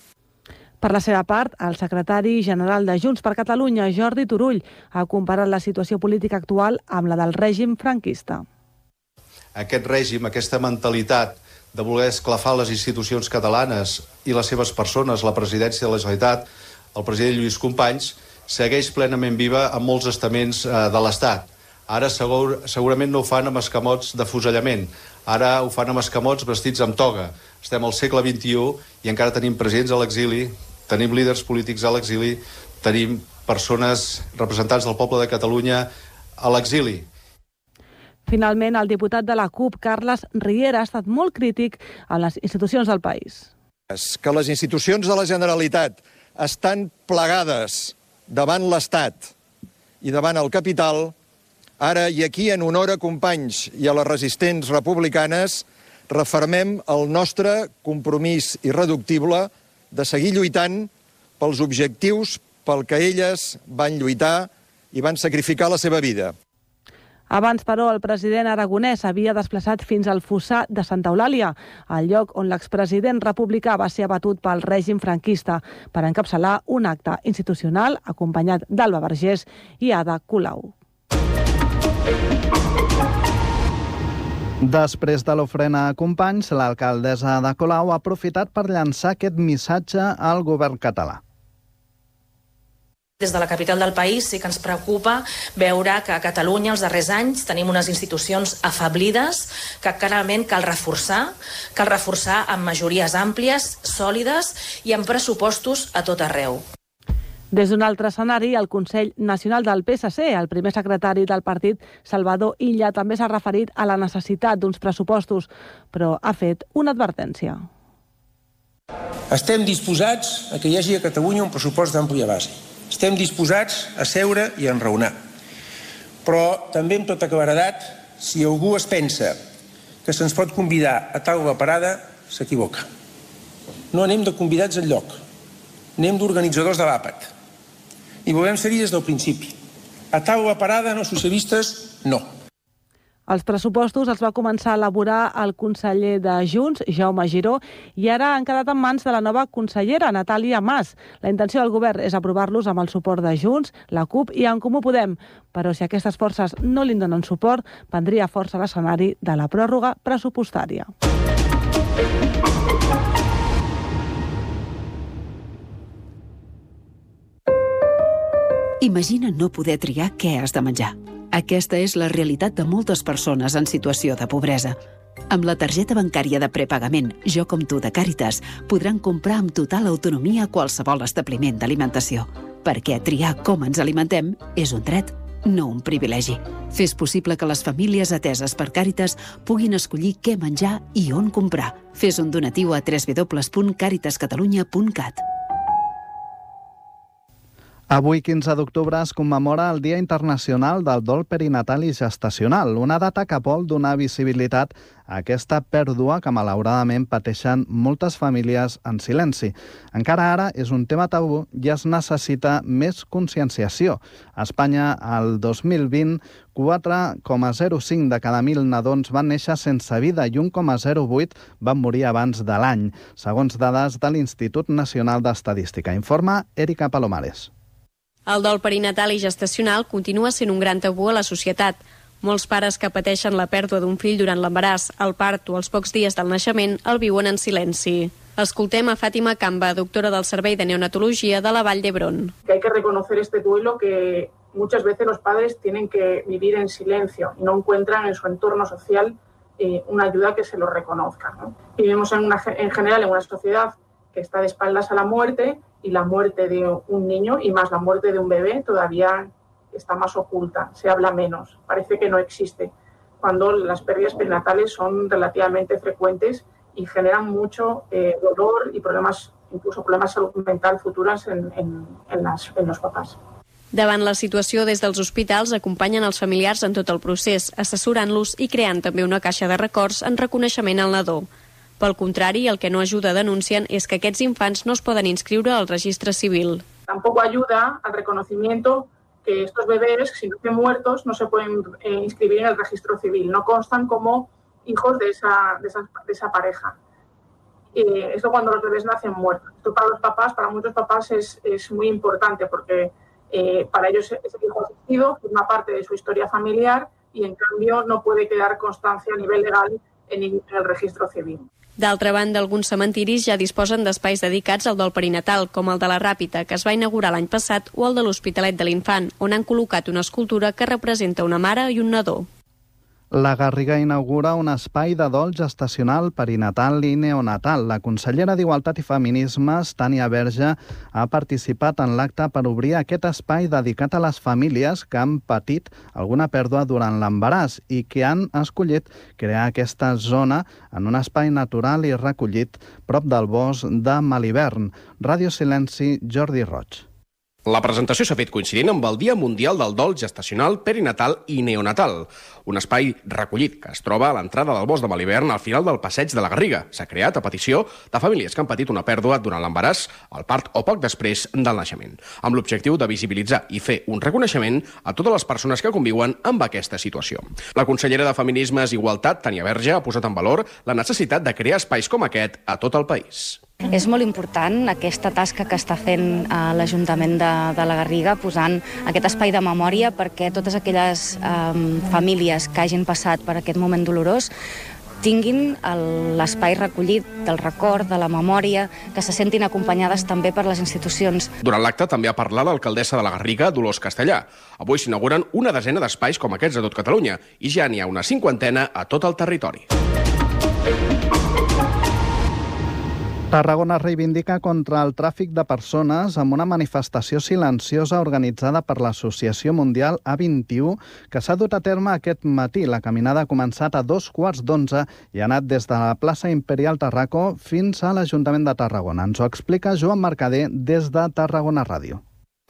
Per la seva part, el secretari general de Junts per Catalunya, Jordi Turull, ha comparat la situació política actual amb la del règim franquista. Aquest règim, aquesta mentalitat de voler esclafar les institucions catalanes i les seves persones, la presidència de la Generalitat, el president Lluís Companys, segueix plenament viva en molts estaments de l'Estat. Ara segur, segurament no ho fan amb escamots d'afusellament, ara ho fan amb escamots vestits amb toga. Estem al segle vint-i-u i encara tenim presidents a l'exili, tenim líders polítics a l'exili, tenim persones, representants del poble de Catalunya a l'exili. Finalment, el diputat de la CUP, Carles Riera, ha estat molt crític a les institucions del país. Que les institucions de la Generalitat estan plegades davant l'Estat i davant el capital, ara i aquí en honor a Companys i a les resistents republicanes, refermem el nostre compromís irreductible de seguir lluitant pels objectius pel que elles van lluitar i van sacrificar la seva vida. Abans, però, el president aragonès havia desplaçat fins al fossar de Santa Eulàlia, el lloc on l'expresident republicà va ser abatut pel règim franquista, per encapçalar un acte institucional acompanyat d'Alba Vergés i Ada Colau. Després de l'ofrena a Companys, l'alcaldessa Ada Colau ha aprofitat per llançar aquest missatge al govern català. Des de la capital del país sí que ens preocupa veure que a Catalunya els darrers anys tenim unes institucions afeblides que clarament cal reforçar, cal reforçar amb majories àmplies, sòlides i amb pressupostos a tot arreu. Des d'un altre escenari, el Consell Nacional del P S C, el primer secretari del partit, Salvador Illa, també s'ha referit a la necessitat d'uns pressupostos, però ha fet una advertència. Estem disposats a que hi hagi a Catalunya un pressupost d'àmplia base. Estem disposats a seure i a enraonar. Però també amb tota claredat, si algú es pensa que se'ns pot convidar a taula parada, s'equivoca. No anem de convidats enlloc, anem d'organitzadors de l'àpat. I volem ser-hi des del principi. A taula parada, no socialistes, no. Els pressupostos els va començar a elaborar el conseller de Junts, Jaume Giró, i ara han quedat en mans de la nova consellera, Natàlia Mas. La intenció del govern és aprovar-los amb el suport de Junts, la CUP i En Comú Podem. Però si aquestes forces no li donen suport, prendria força l'escenari de la pròrroga pressupostària. Imagina no poder triar què has de menjar. Aquesta és la realitat de moltes persones en situació de pobresa. Amb la targeta bancària de prepagament Jo com tu de Càritas podran comprar amb total autonomia qualsevol establiment d'alimentació, perquè triar com ens alimentem és un dret, no un privilegi. Fes possible que les famílies ateses per Càritas puguin escollir què menjar i on comprar. Fes un donatiu a w w w punt caritas catalunya punt cat. Avui, quinze d'octubre, es commemora el Dia Internacional del Dol Perinatal i Gestacional, una data que vol donar visibilitat a aquesta pèrdua que malauradament pateixen moltes famílies en silenci. Encara ara és un tema tabú i es necessita més conscienciació. A Espanya, el dos mil vint, quatre coma zero cinc de cada mil nadons van néixer sense vida i un coma zero vuit van morir abans de l'any, segons dades de l'Institut Nacional d'Estadística. Informa Erika Palomares. El dol perinatal i gestacional continua sent un gran tabú a la societat. Molts pares que pateixen la pèrdua d'un fill durant l'embaràs, el part o els pocs dies del naixement el viuen en silenci. Escoltem a Fàtima Camba, doctora del Servei de Neonatologia de la Vall d'Hebron. Que hay que reconocer este duelo que muchas veces los padres tienen que vivir en silencio y no encuentran en su entorno social eh, una ayuda que se lo reconozca, ¿no? Vivimos en, una, en general en una sociedad que está de espaldas a la muerte y la muerte de un niño y más la muerte de un bebé todavía está más oculta, se habla menos, parece que no existe, cuando las pérdidas perinatales son relativamente frecuentes y generan mucho eh, dolor y problemas, incluso problemas de salud mental futuras en, en, en, las, en los papás. Davant la situació, des dels hospitals acompanyen els familiars en tot el procés, assessorant-los i creant també una caixa de records en reconeixement al nadó. Pel contrari, el que no ajuda, denuncien, és que aquests infants no es poden inscriure al registre civil. Tampoco ayuda al reconocimiento que estos bebés, si nacen muertos, no se pueden eh, inscribir en el registro civil, no constan como hijos de esa, de esa, de esa pareja. Eh, esto cuando los bebés nacen muertos. Esto para los papás, para muchos papás es, es muy importante porque eh, para ellos ese hijo asistido forma parte de su historia familiar y en cambio no puede quedar constancia a nivel legal en, en el registro civil. D'altra banda, alguns cementiris ja disposen d'espais dedicats al dol perinatal, com el de la Ràpita, que es va inaugurar l'any passat, o el de l'Hospitalet de l'Infant, on han col·locat una escultura que representa una mare i un nadó. La Garriga inaugura un espai de dol gestacional, perinatal i neonatal. La consellera d'Igualtat i Feminismes, Tània Verge, ha participat en l'acte per obrir aquest espai dedicat a les famílies que han patit alguna pèrdua durant l'embaràs i que han escollit crear aquesta zona en un espai natural i recollit prop del bosc de Malibern. Ràdio Silenci, Jordi Roig. La presentació s'ha fet coincidint amb el Dia Mundial del Dol Gestacional, Perinatal i Neonatal, un espai recollit que es troba a l'entrada del bosc de Malibern al final del passeig de la Garriga. S'ha creat a petició de famílies que han patit una pèrdua durant l'embaràs, el part o poc després del naixement, amb l'objectiu de visibilitzar i fer un reconeixement a totes les persones que conviuen amb aquesta situació. La consellera de Feminismes i Igualtat, Tània Verge, ha posat en valor la necessitat de crear espais com aquest a tot el país. És molt important aquesta tasca que està fent eh, l'Ajuntament de, de la Garriga, posant aquest espai de memòria perquè totes aquelles eh, famílies que hagin passat per aquest moment dolorós tinguin l'espai recollit del record, de la memòria, que se sentin acompanyades també per les institucions. Durant l'acte també ha parlat l'alcaldessa de la Garriga, Dolors Castellà. Avui s'inauguren una desena d'espais com aquests a tot Catalunya i ja n'hi ha una cinquantena a tot el territori. Tarragona reivindica contra el tràfic de persones amb una manifestació silenciosa organitzada per l'Associació Mundial A vint-i-u que s'ha dut a terme aquest matí. La caminada ha començat a dos quarts d'onze i ha anat des de la plaça Imperial Tarraco fins a l'Ajuntament de Tarragona. Ens ho explica Joan Mercader des de Tarragona Ràdio.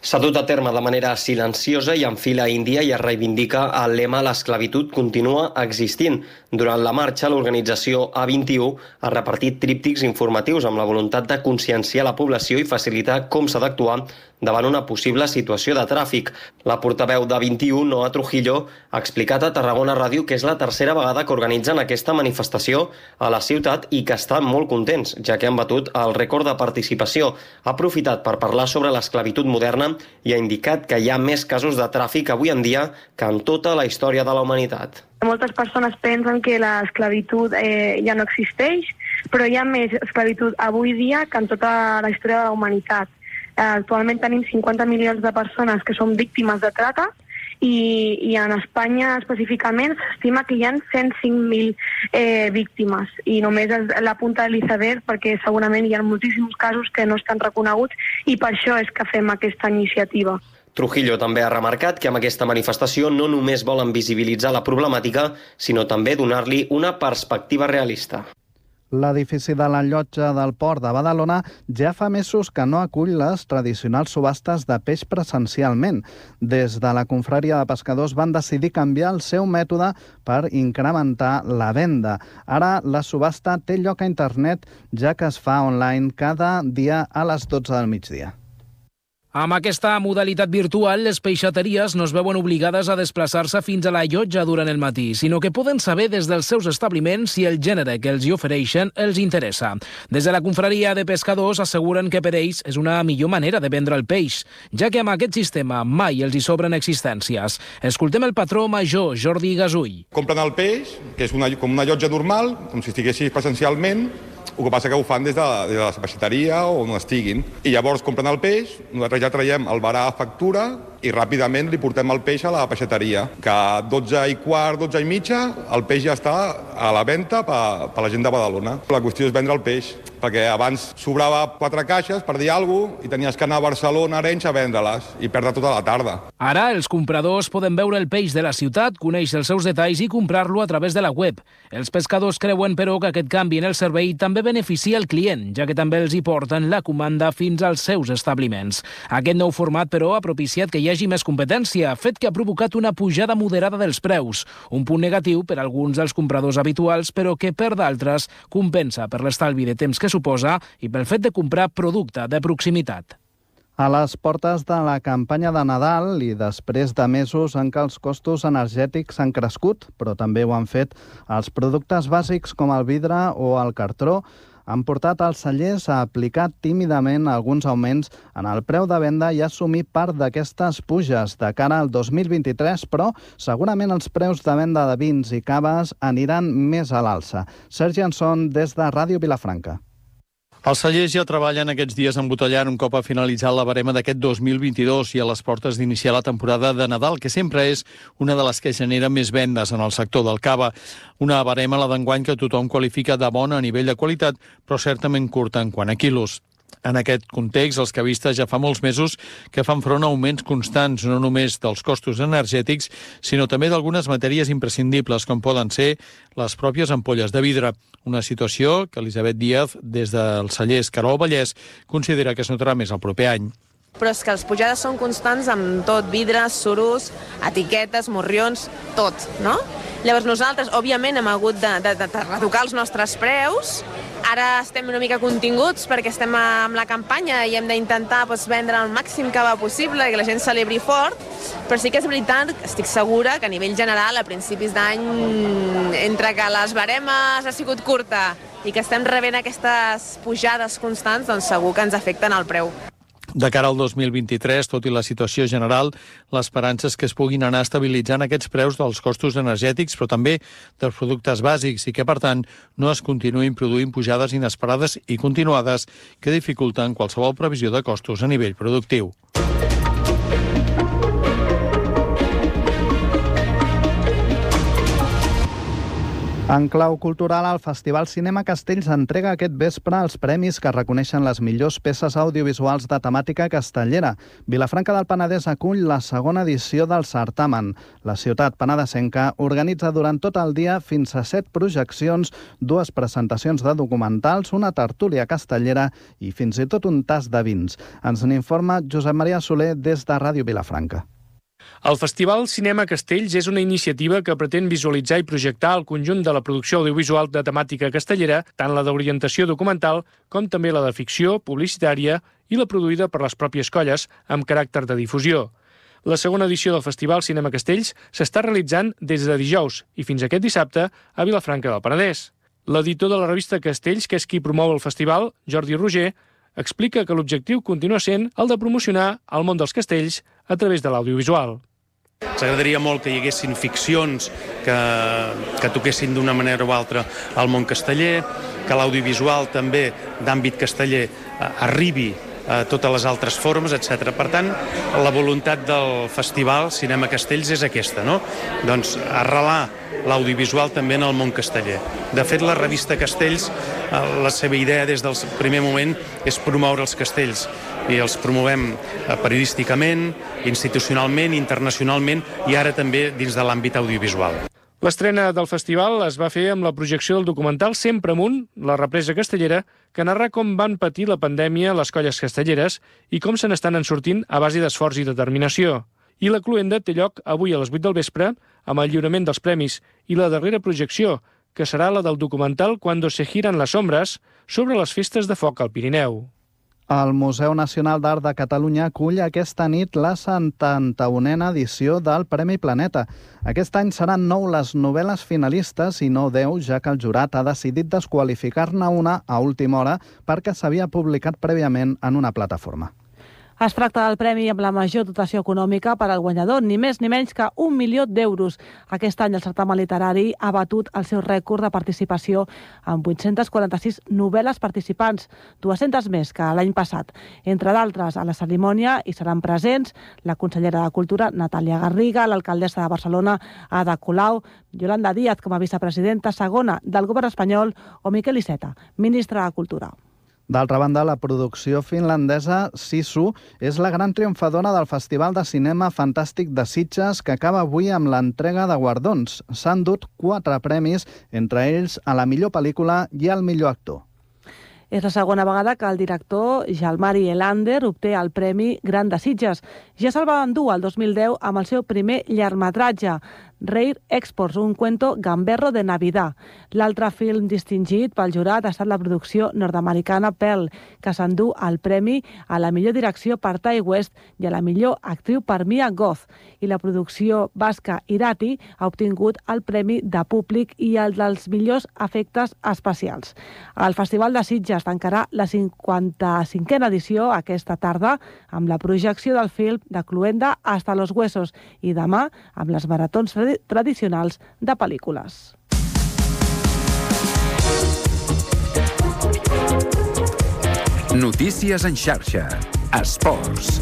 S'ha dut a terme de manera silenciosa i en fila índia i es reivindica el lema «L'esclavitud continua existint». Durant la marxa, l'organització A vint-i-u ha repartit tríptics informatius amb la voluntat de conscienciar la població i facilitar com s'ha d'actuar davant una possible situació de tràfic. La portaveu d'A vint-i-u, Noa Trujillo, ha explicat a Tarragona Ràdio que és la tercera vegada que organitzen aquesta manifestació a la ciutat i que estan molt contents, ja que han batut el rècord de participació. Ha aprofitat per parlar sobre l'esclavitud moderna i ha indicat que hi ha més casos de tràfic avui en dia que en tota la història de la humanitat. Moltes persones pensen que l'esclavitud eh, ja no existeix, però hi ha més esclavitud avui dia que en tota la història de la humanitat. Eh, actualment tenim cinquanta milions de persones que són víctimes de trata i, i en Espanya específicament s'estima que hi ha cent cinc mil eh, víctimes i només és la punta de l'iceberg perquè segurament hi ha moltíssims casos que no estan reconeguts i per això és que fem aquesta iniciativa. Trujillo també ha remarcat que amb aquesta manifestació no només volen visibilitzar la problemàtica, sinó també donar-li una perspectiva realista. L'edifici de la Llotja del Port de Badalona ja fa mesos que no acull les tradicionals subhastes de peix presencialment. Des de la confraria de pescadors van decidir canviar el seu mètode per incrementar la venda. Ara la subhasta té lloc a internet, ja que es fa online cada dia a les dotze del migdia. Amb aquesta modalitat virtual, les peixateries no es veuen obligades a desplaçar-se fins a la llotja durant el matí, sinó que poden saber des dels seus establiments si el gènere que els hi ofereixen els interessa. Des de la confraria de pescadors asseguren que per ells és una millor manera de vendre el peix, ja que amb aquest sistema mai els hi sobren existències. Escoltem el patró major, Jordi Gasull. Compren el peix, que és una, com una llotja normal, com si estiguessis presencialment. El que passa que ho fan des de, des de la peixateria o on estiguin. I llavors compren el peix, nosaltres ja traiem el varà a factura i ràpidament li portem el peix a la peixateria. Que a dotze i quart, dotze i mitja, el peix ja està a la venda per, per la gent de Badalona. La qüestió és vendre el peix, perquè abans sobrava quatre caixes, per dir alguna cosa, i tenies que anar a Barcelona, Arenys, a vendre-les i perdre tota la tarda. Ara els compradors poden veure el peix de la ciutat, conèixer els seus detalls i comprar-lo a través de la web. Els pescadors creuen, però, que aquest canvi en el servei també beneficia el client, ja que també els hi porten la comanda fins als seus establiments. Aquest nou format, però, ha propiciat que hi hagi més competència, fet que ha provocat una pujada moderada dels preus. Un punt negatiu per a alguns dels compradors habituals, però que per d'altres compensa per l'estalvi de temps que suposa i pel fet de comprar producte de proximitat. A les portes de la campanya de Nadal i després de mesos en què els costos energètics han crescut, però també ho han fet els productes bàsics com el vidre o el cartró, han portat els cellers a aplicar tímidament alguns augments en el preu de venda i assumir part d'aquestes puges de cara al dos mil vint-i-tres, però segurament els preus de venda de vins i caves aniran més a l'alça. Sergi Anson, des de Ràdio Vilafranca. Els cellers ja treballen aquests dies embotellant un cop ha finalitzat la barema d'aquest dos mil vint-i-dos i a les portes d'iniciar la temporada de Nadal, que sempre és una de les que genera més vendes en el sector del cava. Una barema, la d'enguany, que tothom qualifica de bona a nivell de qualitat, però certament curta en quant a quilos. En aquest context, els cavistes ja fa molts mesos que fan front a augments constants, no només dels costos energètics, sinó també d'algunes matèries imprescindibles, com poden ser les pròpies ampolles de vidre. Una situació que Elisabet Díaz, des del celler Escarol Vallès, considera que es notarà més el proper any. Però és que les pujades són constants amb tot, vidres, suros, etiquetes, morrions, tot, no? Llavors nosaltres, òbviament, hem hagut de, de, de retocar els nostres preus. Ara estem una mica continguts perquè estem amb la campanya i hem d'intentar doncs, vendre el màxim que va possible, que la gent celebri fort, però sí que és veritat, estic segura que a nivell general, a principis d'any, entre que les baremes ha sigut curta i que estem rebent aquestes pujades constants, doncs segur que ens afecten el preu. De cara al dos mil vint-i-tres, tot i la situació general, l'esperança és que es puguin anar estabilitzant aquests preus dels costos energètics, però també dels productes bàsics, i que, per tant, no es continuïn produint pujades inesperades i continuades que dificulten qualsevol previsió de costos a nivell productiu. En clau cultural, el Festival Cinema Castells entrega aquest vespre els premis que reconeixen les millors peces audiovisuals de temàtica castellera. Vilafranca del Penedès acull la segona edició del certamen. La ciutat penedesenca organitza durant tot el dia fins a set projeccions, dues presentacions de documentals, una tertúlia castellera i fins i tot un tas de vins. Ens n'informa Josep Maria Soler des de Ràdio Vilafranca. El Festival Cinema Castells és una iniciativa que pretén visualitzar i projectar el conjunt de la producció audiovisual de temàtica castellera, tant la d'orientació documental com també la de ficció, publicitària i la produïda per les pròpies colles amb caràcter de difusió. La segona edició del Festival Cinema Castells s'està realitzant des de dijous i fins aquest dissabte a Vilafranca del Penedès. L'editor de la revista Castells, que és qui promou el festival, Jordi Roger, explica que l'objectiu continua sent el de promocionar el món dels castells a través de l'audiovisual. Ens agradaria molt que hi haguessin ficcions que, que toquessin d'una manera o altra al món casteller, que l'audiovisual també d'àmbit casteller arribi a totes les altres formes, etcètera. Per tant, la voluntat del Festival Cinema Castells és aquesta, no? Doncs arrelar l'audiovisual també en el món casteller. De fet, la revista Castells, la seva idea des del primer moment és promoure els castells i els promovem periodísticament, institucionalment, internacionalment i ara també dins de l'àmbit audiovisual. L'estrena del festival es va fer amb la projecció del documental Sempre amunt, la represa castellera, que narra com van patir la pandèmia les colles castelleres i com se n'estan en sortint a base d'esforç i determinació. I la cloenda té lloc avui a les vuit del vespre amb el lliurament dels premis i la darrera projecció, que serà la del documental Cuando se giran las sombras, sobre les festes de foc al Pirineu. El Museu Nacional d'Art de Catalunya acull aquesta nit la setanta-unena edició del Premi Planeta. Aquest any seran nou les novel·les finalistes i no deu, ja que el jurat ha decidit desqualificar-ne una a última hora perquè s'havia publicat prèviament en una plataforma. Es tracta del premi amb la major dotació econòmica per al guanyador, ni més ni menys que un milió d'euros. Aquest any el certamen literari ha batut el seu rècord de participació amb vuit-centes quaranta-sis novel·les participants, dues-centes més que l'any passat. Entre d'altres, a la cerimònia hi seran presents la consellera de Cultura, Natàlia Garriga, l'alcaldessa de Barcelona, Ada Colau, Yolanda Díaz com a vicepresidenta segona del govern espanyol o Miquel Iceta, ministre de Cultura. D'altra banda, la producció finlandesa Sisu és la gran triomfadora del Festival de Cinema Fantàstic de Sitges, que acaba avui amb l'entrega de guardons. S'han dut quatre premis, entre ells a la millor pel·lícula i al millor actor. És la segona vegada que el director Jalmari Elander obté el Premi Gran de Sitges. Ja se'l va endur el dos mil deu amb el seu primer llargmetratge, Rare Exports, un cuento gamberro de Navidad. L'altre film distingit pel jurat ha estat la producció nord-americana Pearl, que s'endú el premi a la millor direcció per Ty West i a la millor actriu per Mia Goth. I la producció basca Irati ha obtingut el premi de públic i el dels millors efectes especials. El Festival de Sitges tancarà la cinquanta-cinquena edició aquesta tarda amb la projecció del film de Cluenda hasta los huesos i demà amb les maratons tradicionals de pel·lícules. Notícies en xarxa. Esports.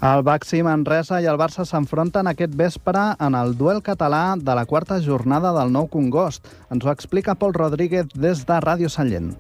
El Baxi Manresa i el Barça s'enfronten aquest vespre en el duel català de la quarta jornada del Nou Congost. Ens ho explica Pol Rodríguez des de Ràdio Sallent.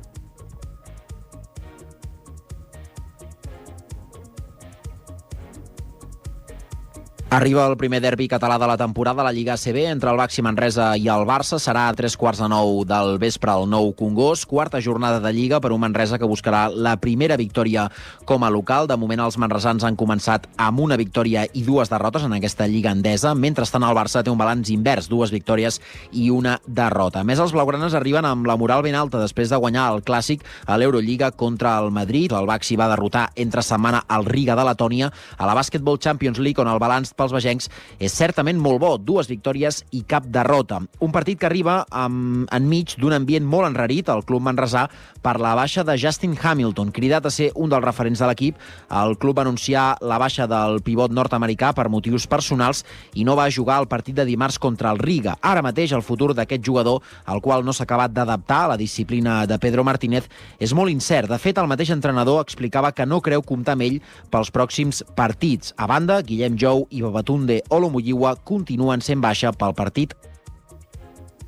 Arriba el primer derbi català de la temporada a la Lliga A C B entre el Baxi Manresa i el Barça. Serà a tres quarts de nou del vespre al Nou Congost. Quarta jornada de Lliga per un Manresa que buscarà la primera victòria com a local. De moment els manresans han començat amb una victòria i dues derrotes en aquesta Lliga endesa. Mentrestant el Barça té un balanç invers, dues victòries i una derrota. A més, els blaugranes arriben amb la moral ben alta després de guanyar el Clàssic a l'Eurolliga contra el Madrid. El Baxi va derrotar entre setmana el Riga de Letònia a la Basketball Champions League, on el balanç pels bagencs és certament molt bo, dues victòries i cap derrota. Un partit que arriba amb, enmig d'un ambient molt enrarit al club manresà per la baixa de Justin Hamilton, cridat a ser un dels referents de l'equip. El club va anunciar la baixa del pivot nord-americà per motius personals i no va jugar el partit de dimarts contra el Riga. Ara mateix el futur d'aquest jugador, al qual no s'ha acabat d'adaptar a la disciplina de Pedro Martínez, és molt incert. De fet, el mateix entrenador explicava que no creu comptar amb ell pels pròxims partits. A banda, Guillem Jou i Babatunde Olomuyiwa continuen sent baixa pel partit.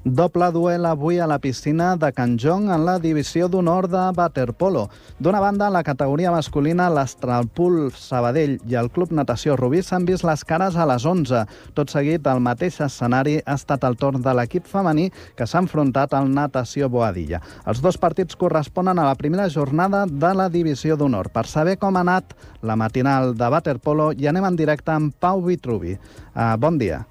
Doble duel avui a la piscina de Can Jong en la divisió d'honor de waterpolo. D'una banda, la categoria masculina, l'Astralpool Sabadell i el Club Natació Rubí s'han vist les cares a les onze. Tot seguit, el mateix escenari ha estat el torn de l'equip femení que s'ha enfrontat al Natació Boadilla. Els dos partits corresponen a la primera jornada de la divisió d'honor. Per saber com ha anat la matinal de waterpolo, hi anem en directe amb Pau Vitruvi. Uh, bon dia.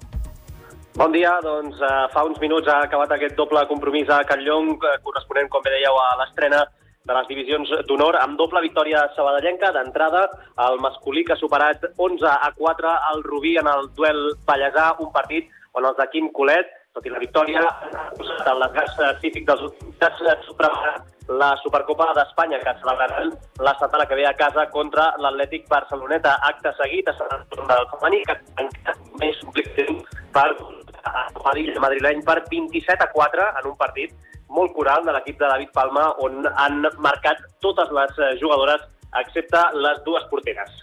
Bon dia, doncs uh, fa uns minuts ha acabat aquest doble compromís a Can Llong, uh, corresponent, com bé dèieu, a l'estrena de les divisions d'honor, amb doble victòria sabadellenca. D'entrada, el masculí que ha superat onze a quatre al Rubí en el duel ballesà, un partit on els de Quim Colet, tot i la victòria, han posat en l'esgast cívic dels últims superat la Supercopa d'Espanya, que celebraran la setmana que ve a casa contra l'Atlètic Barceloneta. Acte seguit, a Sant Torn del femení, que encara més complicatiu per el madrileny per vint-i-set a quatre en un partit molt coral de l'equip de David Palma, on han marcat totes les jugadores, excepte les dues porteres.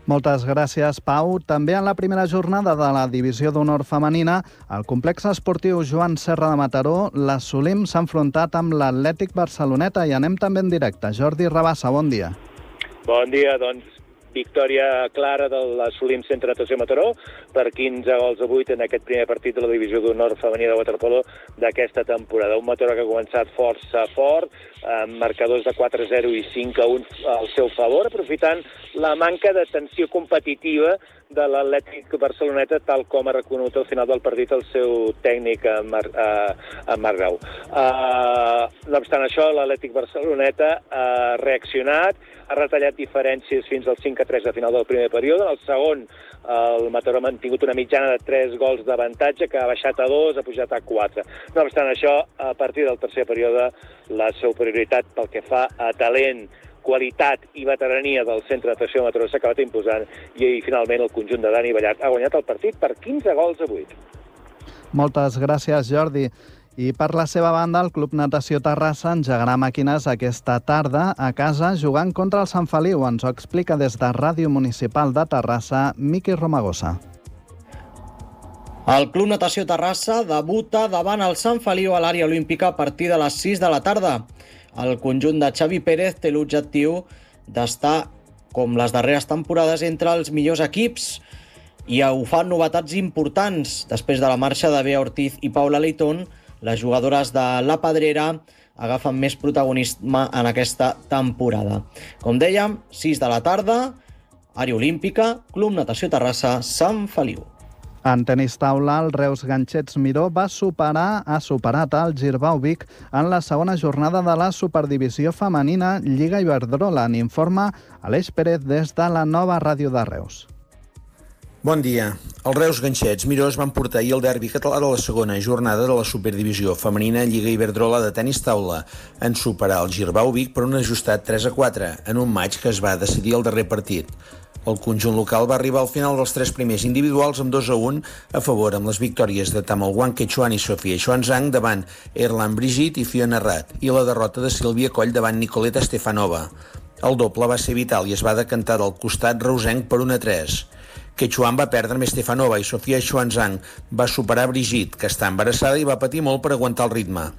Moltes gràcies, Pau. També en la primera jornada de la divisió d'honor femenina, el complex esportiu Joan Serra de Mataró, la Solim s'ha enfrontat amb l'Atlètic Barceloneta i anem també en directe. Jordi Rabassa, bon dia. Bon dia, doncs victòria clara de l'Assolim Centre Natació Mataró per quinze gols a vuit en aquest primer partit de la Divisió d'Honor femení de waterpolo d'aquesta temporada. Un Mataró que ha començat força fort, amb marcadors de quatre a zero i cinc a un al seu favor, aprofitant la manca de tensió competitiva de l'Atlètic Barceloneta, tal com ha reconegut al final del partit el seu tècnic, en Mar, uh, Marc Grau. Uh, no obstant això, l'Atlètic Barceloneta ha reaccionat, ha retallat diferències fins al cinc a tres a final del primer període. En el segon, el Mataró ha mantingut una mitjana de tres gols d'avantatge, que ha baixat a dos, ha pujat a quatre. No obstant això, a partir del tercer període, la superioritat pel que fa a talent, qualitat i veterania del Centre de Natació Mataró s'ha acabat imposant i finalment el conjunt de Dani Ballart ha guanyat el partit per quinze gols a vuit. Moltes gràcies, Jordi. I per la seva banda, el Club Natació Terrassa engegarà màquines aquesta tarda a casa jugant contra el Sant Feliu. Ens ho explica des de Ràdio Municipal de Terrassa, Miqui Romagosa. El Club Natació Terrassa debuta davant el Sant Feliu a l'àrea olímpica a partir de les sis de la tarda. El conjunt de Xavi Pérez té l'objectiu d'estar, com les darreres temporades, entre els millors equips i ho fan novetats importants. Després de la marxa de Bea Ortiz i Paula Leitón, les jugadores de la Pedrera agafen més protagonisme en aquesta temporada. Com dèiem, sis de la tarda, àrea olímpica, Club Natació Terrassa, Sant Feliu. En tenis taula, el Reus Ganxets Miró va superar, ha superat el Girbau Vic en la segona jornada de la Superdivisió Femenina Lliga Iberdrola. N'informa Aleix Pérez des de la Nova Ràdio de Reus. Bon dia. Els Reus Ganxets Miró es van portar ahir el derbi català de la segona jornada de la Superdivisió Femenina Lliga Iberdrola de tenis taula en superar el Girbau Vic per un ajustat tres a quatre en un maig que es va decidir al darrer partit. El conjunt local va arribar al final dels tres primers individuals amb dos a un a favor, amb les victòries de Tamal Wang Quechuan i Sofia Xuanzang davant Erlan Brigitte i Fiona Rat i la derrota de Sílvia Coll davant Nicoleta Stefanova. El doble va ser vital i es va decantar del costat reusenc per un a tres. Quechuan va perdre amb Stefanova i Sofia Xuanzang va superar Brigitte, que està embarassada i va patir molt per aguantar el ritme.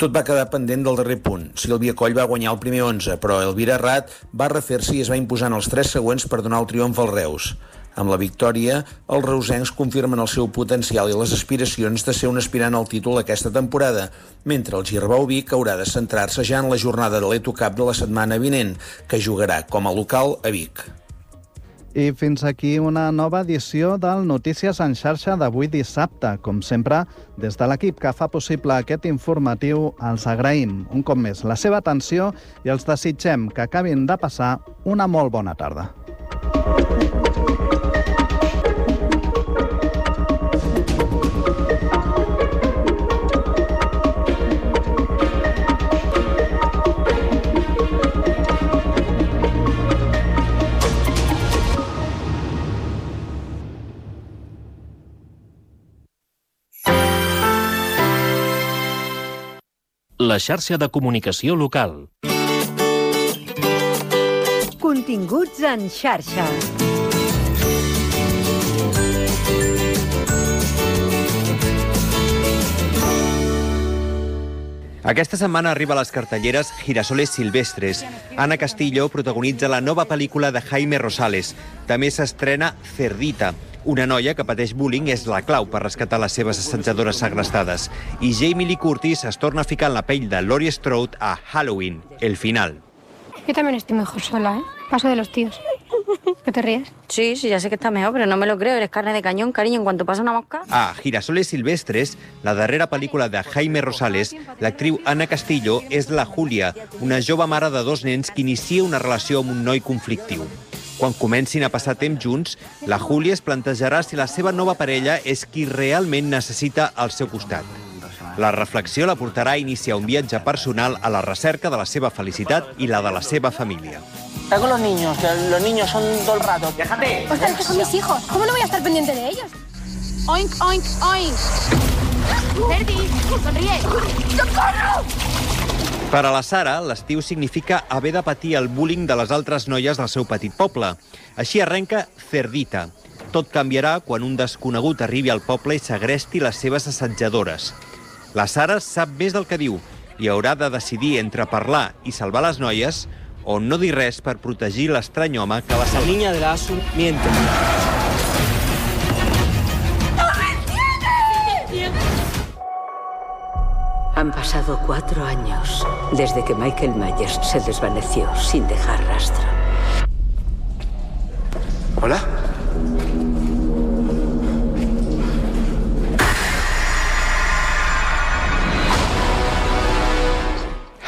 Tot va quedar pendent del darrer punt. Sílvia Coll va guanyar el primer onze, però Elvira Rat va refer-se i es va imposar en els tres següents per donar el triomf als Reus. Amb la victòria, els reusencs confirmen el seu potencial i les aspiracions de ser un aspirant al títol aquesta temporada, mentre el Girbau Vic haurà de centrar-se ja en la jornada de l'Eto Cup de la setmana vinent, que jugarà com a local a Vic. I fins aquí una nova edició del Notícies en xarxa d'avui dissabte. Com sempre, des de l'equip que fa possible aquest informatiu, els agraïm un cop més la seva atenció i els desitgem que acabin de passar una molt bona tarda. La xarxa de comunicació local. Continguts en xarxa. Aquesta setmana arriba a les cartelleres Girasoles Silvestres. Ana Castillo protagonitza la nova pel·lícula de Jaime Rosales. També s'estrena Cerdita. Una noia que pateix bullying és la clau per rescatar les seves assetjadores segrestades. I Jamie Lee Curtis es torna a ficar en la pell de Laurie Strode a Halloween, el final. Yo también estoy mejor sola, ¿eh? Paso de los tíos. ¿Qué te ríes? Sí, sí, ya sé que está mejor, pero no me lo creo. Eres carne de cañón, cariño, en cuanto pasa una mosca. A Girasoles Silvestres, la darrera pel·lícula de Jaime Rosales, l'actriu Ana Castillo és la Júlia, una jove mare de dos nens que inicia una relació amb un noi conflictiu. Quan comencin a passar temps junts, la Júlia es plantejarà si la seva nova parella és qui realment necessita al seu costat. La reflexió la portarà a iniciar un viatge personal a la recerca de la seva felicitat i la de la seva família. Está con los niños, que los niños son todo el rato. ¡Déjate! Ostras, que son mis hijos. ¿Cómo no voy a estar pendiente de ellos? Oink, oink, oink. Verdi, sonríe. ¡Socorro! Per a la Sara, l'estiu significa haver de patir el bullying de les altres noies del seu petit poble. Així arrenca Cerdita. Tot canviarà quan un desconegut arribi al poble i segresti les seves assetjadores. La Sara sap més del que diu i haurà de decidir entre parlar i salvar les noies o no dir res per protegir l'estrany home que va salvar. La niña de la ASUR miente. Han pasado cuatro años desde que Michael Myers se desvaneció sin dejar rastro. ¿Hola?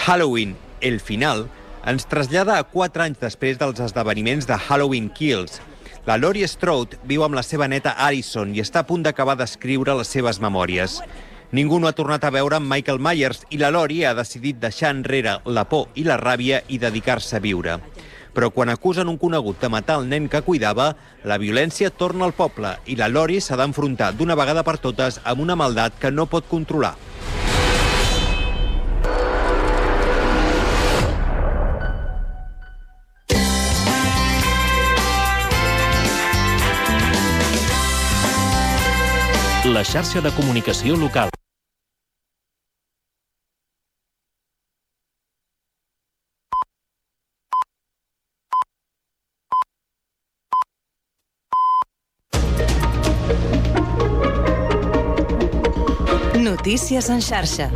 Halloween, el final, ens trasllada a quatre anys després dels esdeveniments de Halloween Kills. La Laurie Strode viu amb la seva neta Allison i està a punt d'acabar d'escriure les seves memòries. Ningú no ha tornat a veure amb Michael Myers i la Laurie ha decidit deixar enrere la por i la ràbia i dedicar-se a viure. Però quan acusen un conegut de matar el nen que cuidava, la violència torna al poble i la Laurie s'ha d'enfrontar d'una vegada per totes amb una maldat que no pot controlar. La xarxa de comunicació local. Notícies en xarxa.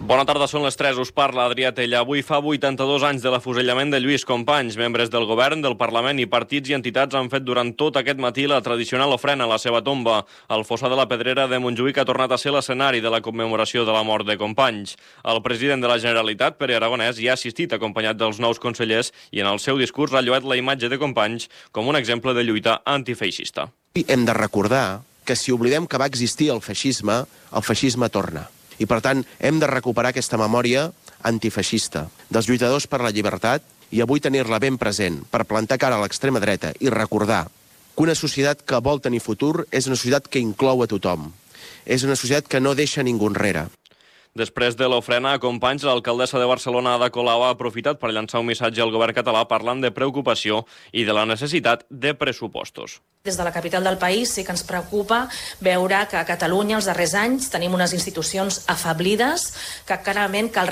Bona tarda, són les tres, us parla Adrià Tella. Avui fa vuitanta-dos anys de l'afusellament de Lluís Companys. Membres del govern, del Parlament i partits i entitats han fet durant tot aquest matí la tradicional ofrena a la seva tomba. El fossar de la Pedrera de Montjuïc ha tornat a ser l'escenari de la commemoració de la mort de Companys. El president de la Generalitat, Pere Aragonès, hi ha assistit acompanyat dels nous consellers i en el seu discurs ha lloat la imatge de Companys com un exemple de lluita antifeixista. Hem de recordar que si oblidem que va existir el feixisme, el feixisme torna. I, per tant, hem de recuperar aquesta memòria antifeixista dels lluitadors per la llibertat i avui tenir-la ben present per plantar cara a l'extrema dreta i recordar que una societat que vol tenir futur és una societat que inclou a tothom. És una societat que no deixa ningú enrere. Després de l'ofrena a Companys, l'alcaldessa de Barcelona, Ada Colau, ha aprofitat per llançar un missatge al govern català parlant de preocupació i de la necessitat de pressupostos. Des de la capital del país sí que ens preocupa veure que a Catalunya els darrers anys tenim unes institucions afeblides que clarament cal